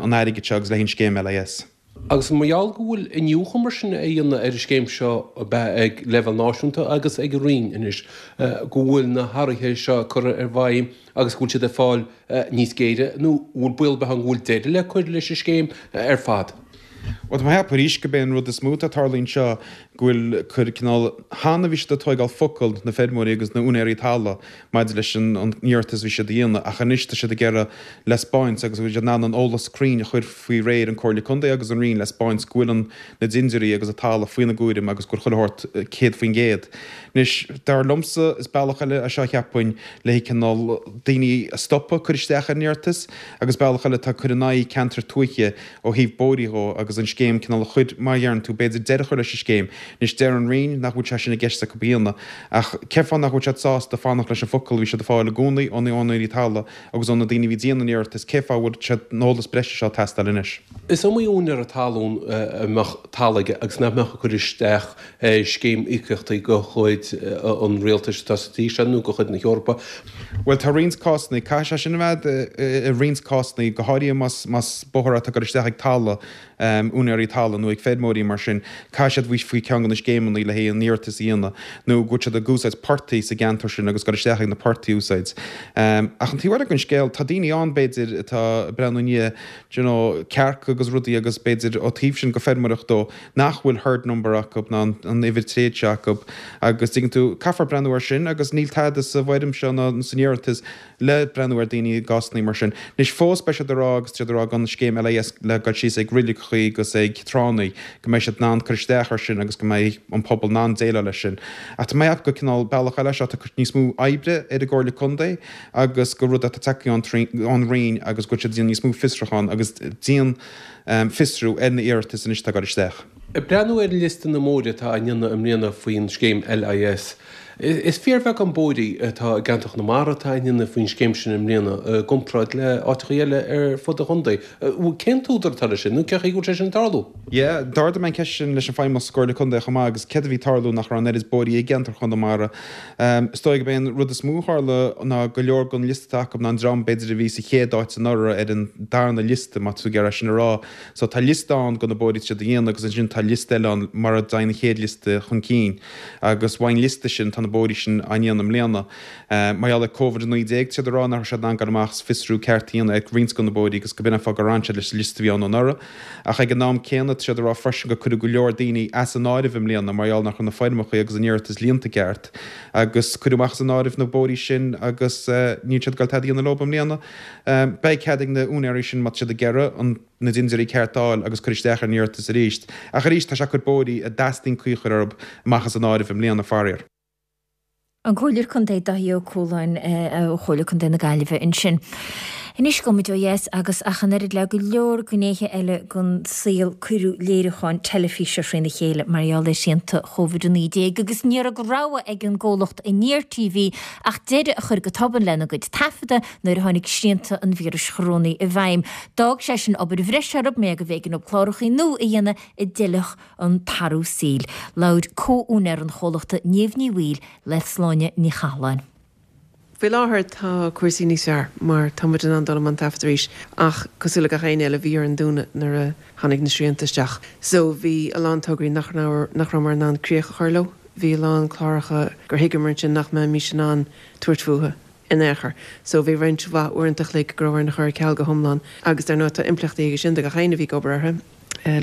an airgid seo agus le haghaidh an scéim LIS. Agus mar gheall go bhfuil iniúchadh mar sin á dhéanamh ar an scéim seo ab ea ag leibhéal náisiúnta agus ag an Roinn anois, go bhfuil na hathruithe seo curtha i bhfeidhm agus go bhfuil siad ag fáil níos géire, nó an bhfuil baol ar bith ann go bhfuil deireadh le cur leis an scéim ar fad? Bhuel, tá mé ag ceapadh arís gurb é an rud is mó atá ag tarlú anseo go bhfuil cur cineál, cheana bhí siad ag tóigeáil focal na feirmeoirí agus na úinéirí talaimh maidir leis an iarratas a bhí siad a dhéanamh ach anois tá siad ag iarraidh le 'spáint agus go bhfuil siad in ann an eolas cruinn a chur faoi réir an Comhairle Contae agus an Roinn le 'spáint go bhfuil an na dintiúirí agus an talamh faoina gcúram agus go bhfuil chuile shórt 100%. Anois, dar liomsa, is bealach eile é seo cheapfainn le cineál daoine a stopadh cur isteach ar an iarratas agus bealach eile atá ag cur in aghaidh ceantar tuaithe ó thaobh bóithrí dhó agus an scéim cineál a chur, mar a dheireann tú, b'fhéidir deireadh a chur leis an scéim. Anois deir an Roinn nach bhfuil sé sin i gceist acu a dhéanamh ach cén fáth nach bhfuil siad sásta fanacht leis an focal a bhí siad ag fáil i gcónaí ó na úinéirí talaimh agus ó na daoine a bhí ag déanamh an iarratais, cén fáth a bhfuil sé an eolas breise seo ag teastáil anois? Is iomaí úinéara talún a mbeadh talamh aige agus nach mbeadh ag cur isteach ar scéim íocaíochtaí de chuid an rialtais atá sa tír seo nó de chuid na hEorpa. Bhuel, tá roinnt cásanna, caithfidh sé sin a bheith i roinnt cásanna, go háirithe más más bóthar atá ag dul isteach ag talamh, úinéirí talaimh nó ag feirmeoirí mar sin, caithfidh siad bheith faoi ceann de na scéimeanna le haghaidh an iarratas a dhéanamh nó go bhfuil siad ag úsáid portaigh sa gceantar sin agus dul isteach ag na portaigh a úsáid. Ach an taobh eile den scéal, tá daoine ann, b'fhéidir, atá ag breathnú i ndiaidh, do you know, cearca agus rudaí agus b'fhéidir ó taobh sin de feirmeoireacht dó, nach bhfuil herd number acu ná an uimhir tréad seo acu agus tuigeann tú, caithfear breathnú air sin agus níl tada sa bhfoirm seo ná san iarratas le breathnú ar daoine i gcásanna mar sin. Anois fós beidh siad ag rá agus siad ag rá gan scéim LIS le dul síos ag roiligeachaí agus ag tránnaí go mbeidh siad in ann cur isteach air sin agus go mbeidh an pobal in ann déileáil leis sin. Ach tá mé ag ceapadh gur cineál bealach eile seo atá ag cur níos mó oibre ar an gComhairle Contae agus gur rud atá tagtha ón Roinn agus go bhfuil siad ag déanamh níos mó fiosrúchán agus dian fiosrú ar na iarratais anois atá ag dul isteach. Ag breathnú ar liosta na mbóithre atá á ndéanamh i mbliana faoin scéim LIS, is fíorbheagán bóithrí atá i gceantar Chonamara atá á ndéanamh faoin scéim sin i mbliana i gcomparáid le áiteachaí eile ar fud an chontae. Cén t-údar atá leis sin nó cén chaoi go bhfuil sé sin ag tarlú? Yeah, d'ardaigh mé an ceist sin leis an Feidhmeannas sa gComhairle Contae chomh maith agus céard a bhí ag tarlú nach raibh an oiread bóithrí i gceantar Chonamara. Is dóigh gurb é an rud is mó a tharla ná go leor den liosta atá acu ná an dream b'fhéidir a bhí sa chéad áit anuraidh ar an darna liosta, má tá tú ag iarraidh sin a rá. So tá liosta ann de na bóithrí atá siad a dhéanamh agus ansin tá liosta eile ann mar a dtéann an chéad liosta chun cinn. Agus ón liosta sin tá na bóithrí sin á ndéanamh i mbliana. Mar gheall ar Covid-19 tá siad ag rá nach raibh siad in ann dul amach is fiosrú ceart a dhéanamh ar roinnt de na bóithrí agus go b'in an fáth gur fhan siad leis an liosta a bhí ann anuraidh. Ach ag an am céanna tá siad ag rá freisin gur cuireadh go leor daoine as an áireamh i mbliana mar gheall nach raibh na foirmeacha agus an iarratas líonta ceart agus cuireadh amach as an áireamh na bóithrí sin agus níl siad ag dul tada a dhéanamh leo i mbliana. Beidh cead ag na úinéirí sin má tá siad ag iarraidh an na dintiúirí ceart a fháil agus cur isteach ar an iarratas arís. Ach arís tá sé ag cur bóithrí a dteastaíonn caoi a chur orthu amach as an áireamh i mbliana, faraor. An Comhairleoir Contae Dáithí Ó Cualáin ó Chomhairle Contae na Gaillimhe ansin. Anois gabhfaidh muid ó dheas agus ach an oiread le go leor gnéithe eile den saol cuireadh léiriúcháin teilifíse thrína chéile mar gheall ar shrianta Covid-19 agus ní raibh de rogha ag an gcomhlacht Aniar TV ach deireadh a chur go tobann lena gcuid taifeadta nuair a tháinig srianta an víris chorónaigh i bhfeidhm. D'fhág sé sin obair bhreise orthu mar go mb'éigean dóibh clárachaí nua a dhéanamh a d'fheilfeadh an t-athrú saoil. Labhair comh-úinéir an chomhlachta Niamh Ní Bhaoill le Sláine Ní Chathalláin. Faoi láthair tá cúrsaí níos fearr mar tá muid in ann dul i mbun taifead arís ach cosúil le gach éinne eile bhí orainn dúnadh nuair a tháinig na srianta isteach. So bhí a lán tograí nach raibh nach rabhamar in ann críoch a chur leo, bhí a lán cláracha gur thuigeamar ansin nach mbeimis in ann tabhairt fúthu. in aon chor. So bhí roinnt mhaith uaireanta a chloig go raibh orainn a chur ar ceal go hiomlán agus dar ndóigh tá impleachtaí aige sin do gach éinne a bhí ag obair orthu,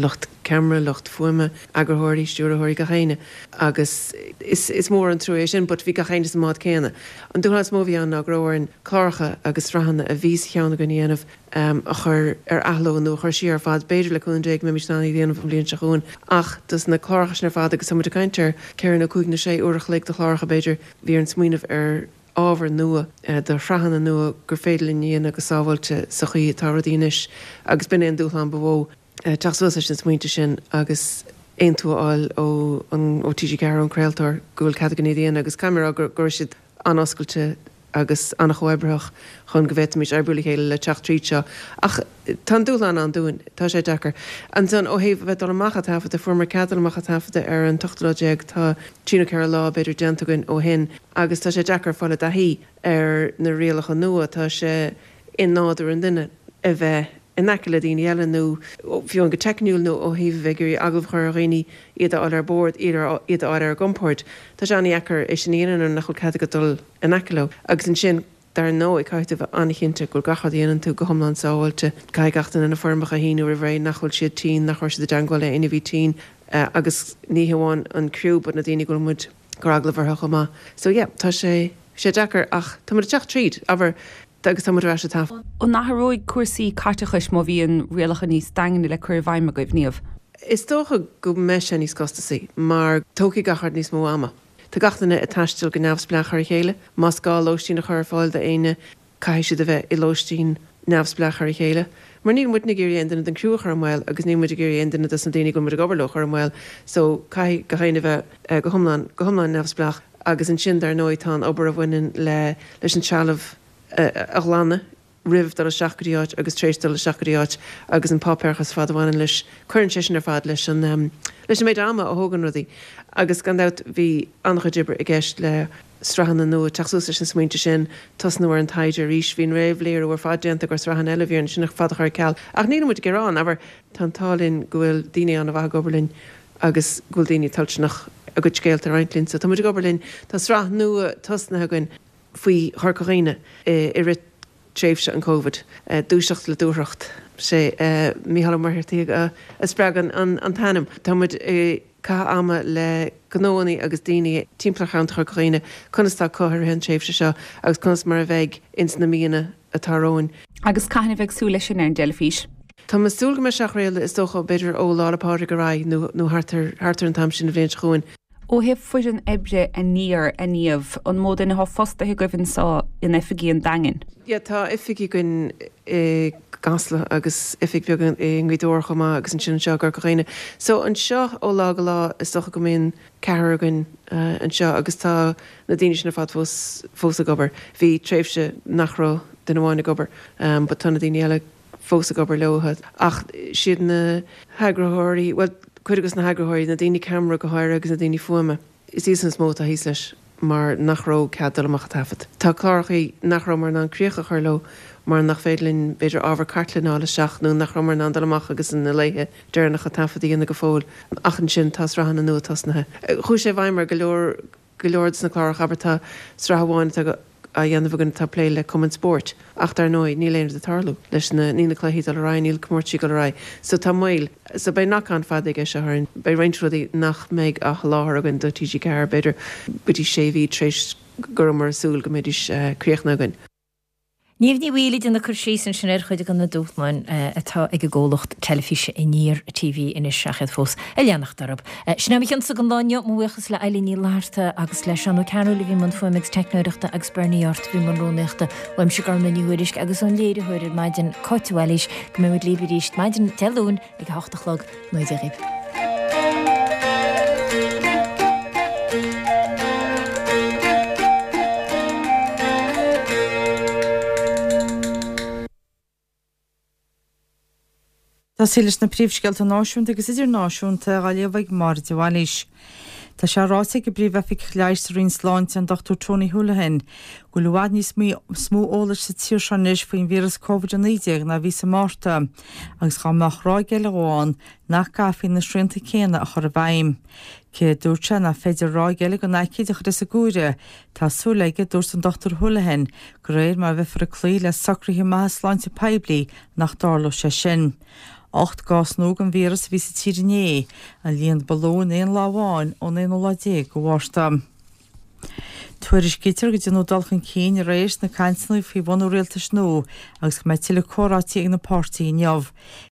lucht ceamara, lucht fuaime, eagarthóirí, stiúrthóirí, gach éinne agus is is mór an trua é sin but bhí gach éinne sa mbád céanna. An dúshlán is mó a bhí ann ná go raibh orainn cláracha agus sraitheanna a bhí sa cheann againn a dhéanamh a chur ar athló nó a chur siar ar fad, b'fhéidir le cúnamh Dé go mbeimis in ann iad a dhéanamh an bhliain seo chugainn ach dos na cláracha sin ar fad agus tá muid ag caint ar ceithre nó cúig nó sé uair a chloig de chláracha b'fhéidir, bhí orainn smaoineamh ar ábhar nua, do shraitheanna nua gur féidir linn a dhéanamh go sábháilte sa chaoi atá rudaí anois agus b'in é an dúshlán ba mhó, teacht suas leis na smaointe sin agus aontú a fháil ó ó TG4, ón craoltóir, go bhfuil cead againn iad a dhéanamh agus caithfidh mé a rá go raibh siad an-oscailte. agus an-chomhoibritheach chun go bhféadfaimis oibriú le chéile le teacht tríd seo. Ach tá an dúshlán ann dúinn. Tá sé deacair. Ansan, ó thaobh a bheith dul amach a' taifeadadh, fuaireamar cead dul amach a' taifeadadh ar an t-ochtú lá déag, tá trí nó 4 lá b'fhéidir déanta againn ó shin agus tá sé deacair fáil i dtaithí ar na rialacha nua. Tá sé i nádúr an duine a bheith in aice le daoine eile nó fiú amháin go teicniúil nó ó thaobh a bheith ag iarraidh agallamh a chur ar dhaoine, iad a fháil ar bord, iad a fháil ar a gcompord. Tá sé an-dheacair é sin a dhéanamh nuair nach bhfuil cead agat dul in aice leo. Agus ansin, dar ndóigh, caithfidh tú a bheith an-chinnte go bhfuil gach rud a dhéanann tú go hiomlán sábháilte. Caithfidh gach duine na foirmeacha a shíniú roimh ré nach bhfuil siad tinn, nach raibh siad i dteangmháil le éinne a bhí tinn agus ní hamháin an criú but na daoine go bhfuil muid ag cur agallamh orthu chomh maith. So yeah, tá sé sé deacair ach tá muid ag teacht tríd. Abair, agus tá muid ar ais ag taifeadadh. An athróidh cúrsaí caiteachais má bhíonn rialacha níos daingne le cur i bhfeidhm agaibh, Niamh? Is dócha go mbeidh sé níos costasaí mar tógfaidh gach rud níos mó ama. Tá gach duine ag taisteal go neamhspleách ar a chéile. Más gá lóistín a chur ar fáil d'éinne, caithfidh siad a bheith i lóistín neamhspleách ar a chéile. Mar níl muidne ag iarraidh aon duine den criú a chur i mbaol agus níl muid ag iarraidh aon duine dos na daoine go bhfuil muid ag obair leo a chur i mbaol so caithfidh gach éinne a bheith go hiomlán, go hiomlán neamhspleách. Agus ansin, dar ndóigh, tá an obair a bhaineann le leis an trealamh a ghlanadh roimh dul isteach go dtí áit agus tar éis dul isteach go dtí áit agus an páipéarachas ar fad a bhaineann leis, cuireann sé sin ar fad leis an leis an méid ama a thógann rudaí. Agus gan dabht bhí an-chuid oibre i gceist le sraitheanna nua, teacht suas leis na smaointe sin, tosnú ar an taighde arís. Bhí an réamhléiriú ar fad déanta do sraitheanna eile, bhí orainn sin ar fad a chur ar ceal. Ach níl muid ag gearán, abair, tá an t-ádh linn go bhfuil daoine an-mhaith ag obair linn agus go bhfuil daoine toilteanach a gcuid scéalta a roinnt linn. So tá muid ag obair linn. Tá sraith nua tosnaithe againn faoi Chorca Dhuibhne i rith tréimhse an Covid, Dúiseacht le Dúthracht. Sé Mícheál Ó Muircheartaigh a spreag an t-ainm. Tá muid ag caitheamh ama le gnóannaí agus daoine timpeall ar cheantar Chorca Dhuibhne, conas atá acu i rith an tréimhse seo agus conas mar a bheidh ins na míonna atá romhainn. Agus cathain a bheifear ag súil leis sin ar an dteilifís? Tá mé ag súil go mbeidh sé á chraoladh, is dócha, b'fhéidir ó Lá 'le Pádraig ar aghaidh nó nó thart ar thart ar an t-am sin an bhliain seo chugainn. Ó thaobh foireann oibre Aniar, a Niamh, an mó duine atá fostaithe agaibh anseo in oifigí an Daingin? Yeah, tá oifig againn i gCasla agus oifig bheag i nGaoth Dobhair chomh maith agus ansin anseo i gCorca Dhuibhne. So anseo ó lá go lá is dócha go mbíonn ceathrar againn anseo agus tá na daoine sin ar fad fós fós ag obair. Bhí tréimhse nach raibh duine amháin ag obair but tá na daoine eile fós ag obair leo. Ach siad na heagraitheoirí, bhuel, cuid de na heagraitheoirí, na daoine ceamara go háirithe agus na daoine fuaime, is iadsan is mó atá thíos leis mar nach raibh cead dul amach ag taifead. Tá clárachaí nach rabhamar in ann críoch a chur leo mar nach féidir linn, b'fhéidir, ábhar cartlainne a fháil isteach nó nach rabhamar in ann dul amach agus na laethe deireanacha taifead a dhéanamh go fóill. Ach ansin tá sraitheanna nua tosnaithe. Chuaigh sé i bhfeidhm ar go leor go leor de na cláracha, abair tá sraith amháin atá á dhéanamh againn atá ag plé le cumainn spóirt ach dar ndóigh níl aon rud ag tarlú leis na, níl na cluichí ag dul ar aghaidh, níl comórtaisí ag dul ar aghaidh so tá moill. So beidh knock on fada aige seo orainn. Beidh roinnt rudaí nach mbeidh á sholáthar againn do TG4 b'fhéidir go dtí sé mhí tar éis go rabhamar ag súil go mbeidís críochnaithe againn. Niamh Ní Bhaoill ag déanamh cur síos ansin ar chuid de na dúshláin atá ag an gcomhlacht teilifíse Aniar TV anois ach iad fós ag leanacht orthu. Sin é mo chionsa don lá inniu. Mo bhuíochas le Eilín Ní Fhlatharta agus le Seán Ó Cearúil a bhí i mbun fuaime agus teicneoireachta agus Bernie Art a bhí i mbun rúnaíochta. Uaimse Gormlaith Ní Thuairisg agus ón léiritheoir ar maidin, Cáit de Bhailís, go mbeidh muid libh arís maidin Dé Luain ag a hocht a chlog. Go ngnóthaí Dia dhaoibh. Tosaí leis na príomhscéalta náisiúnta agus idirnáisiúnta á léamh ag Máire de Bhailís. Tá sé ráite ag an bPríomh-Oifigeach Leighis sa Roinn Sláinte, an Dr Tony Holohan, go bhfuil i bhfad níos mó eolais sa tír seo anois faoin víreas Covid-19 ná a bhí sa Márta. agus dá mbeadh ráig eile dhó ann, nach gcaithfí na srianta céanna a chur i bhfeidhm. Cé a dúirt sé nach féidir ráig eile den aicíd a chur as an gcomhaireamh, tá súil aige, dúirt an Dr Holohan, de réir mar a bheifear ag cloí le socruithe maithe sláinte poiblí, nach dtarlódh sé sin. 8 gcás nua den víreas a bhí sa tír inné, an líon ba lú in aon lá amháin ón aonú lá déag de Mhárta. Tuairiscítear go ndearnadh dul chun cinn aréir sna cainteanna faoi bhunú rialtais nua agus go mbeidh tuilleadh comhráití ag na páirtithe inniu.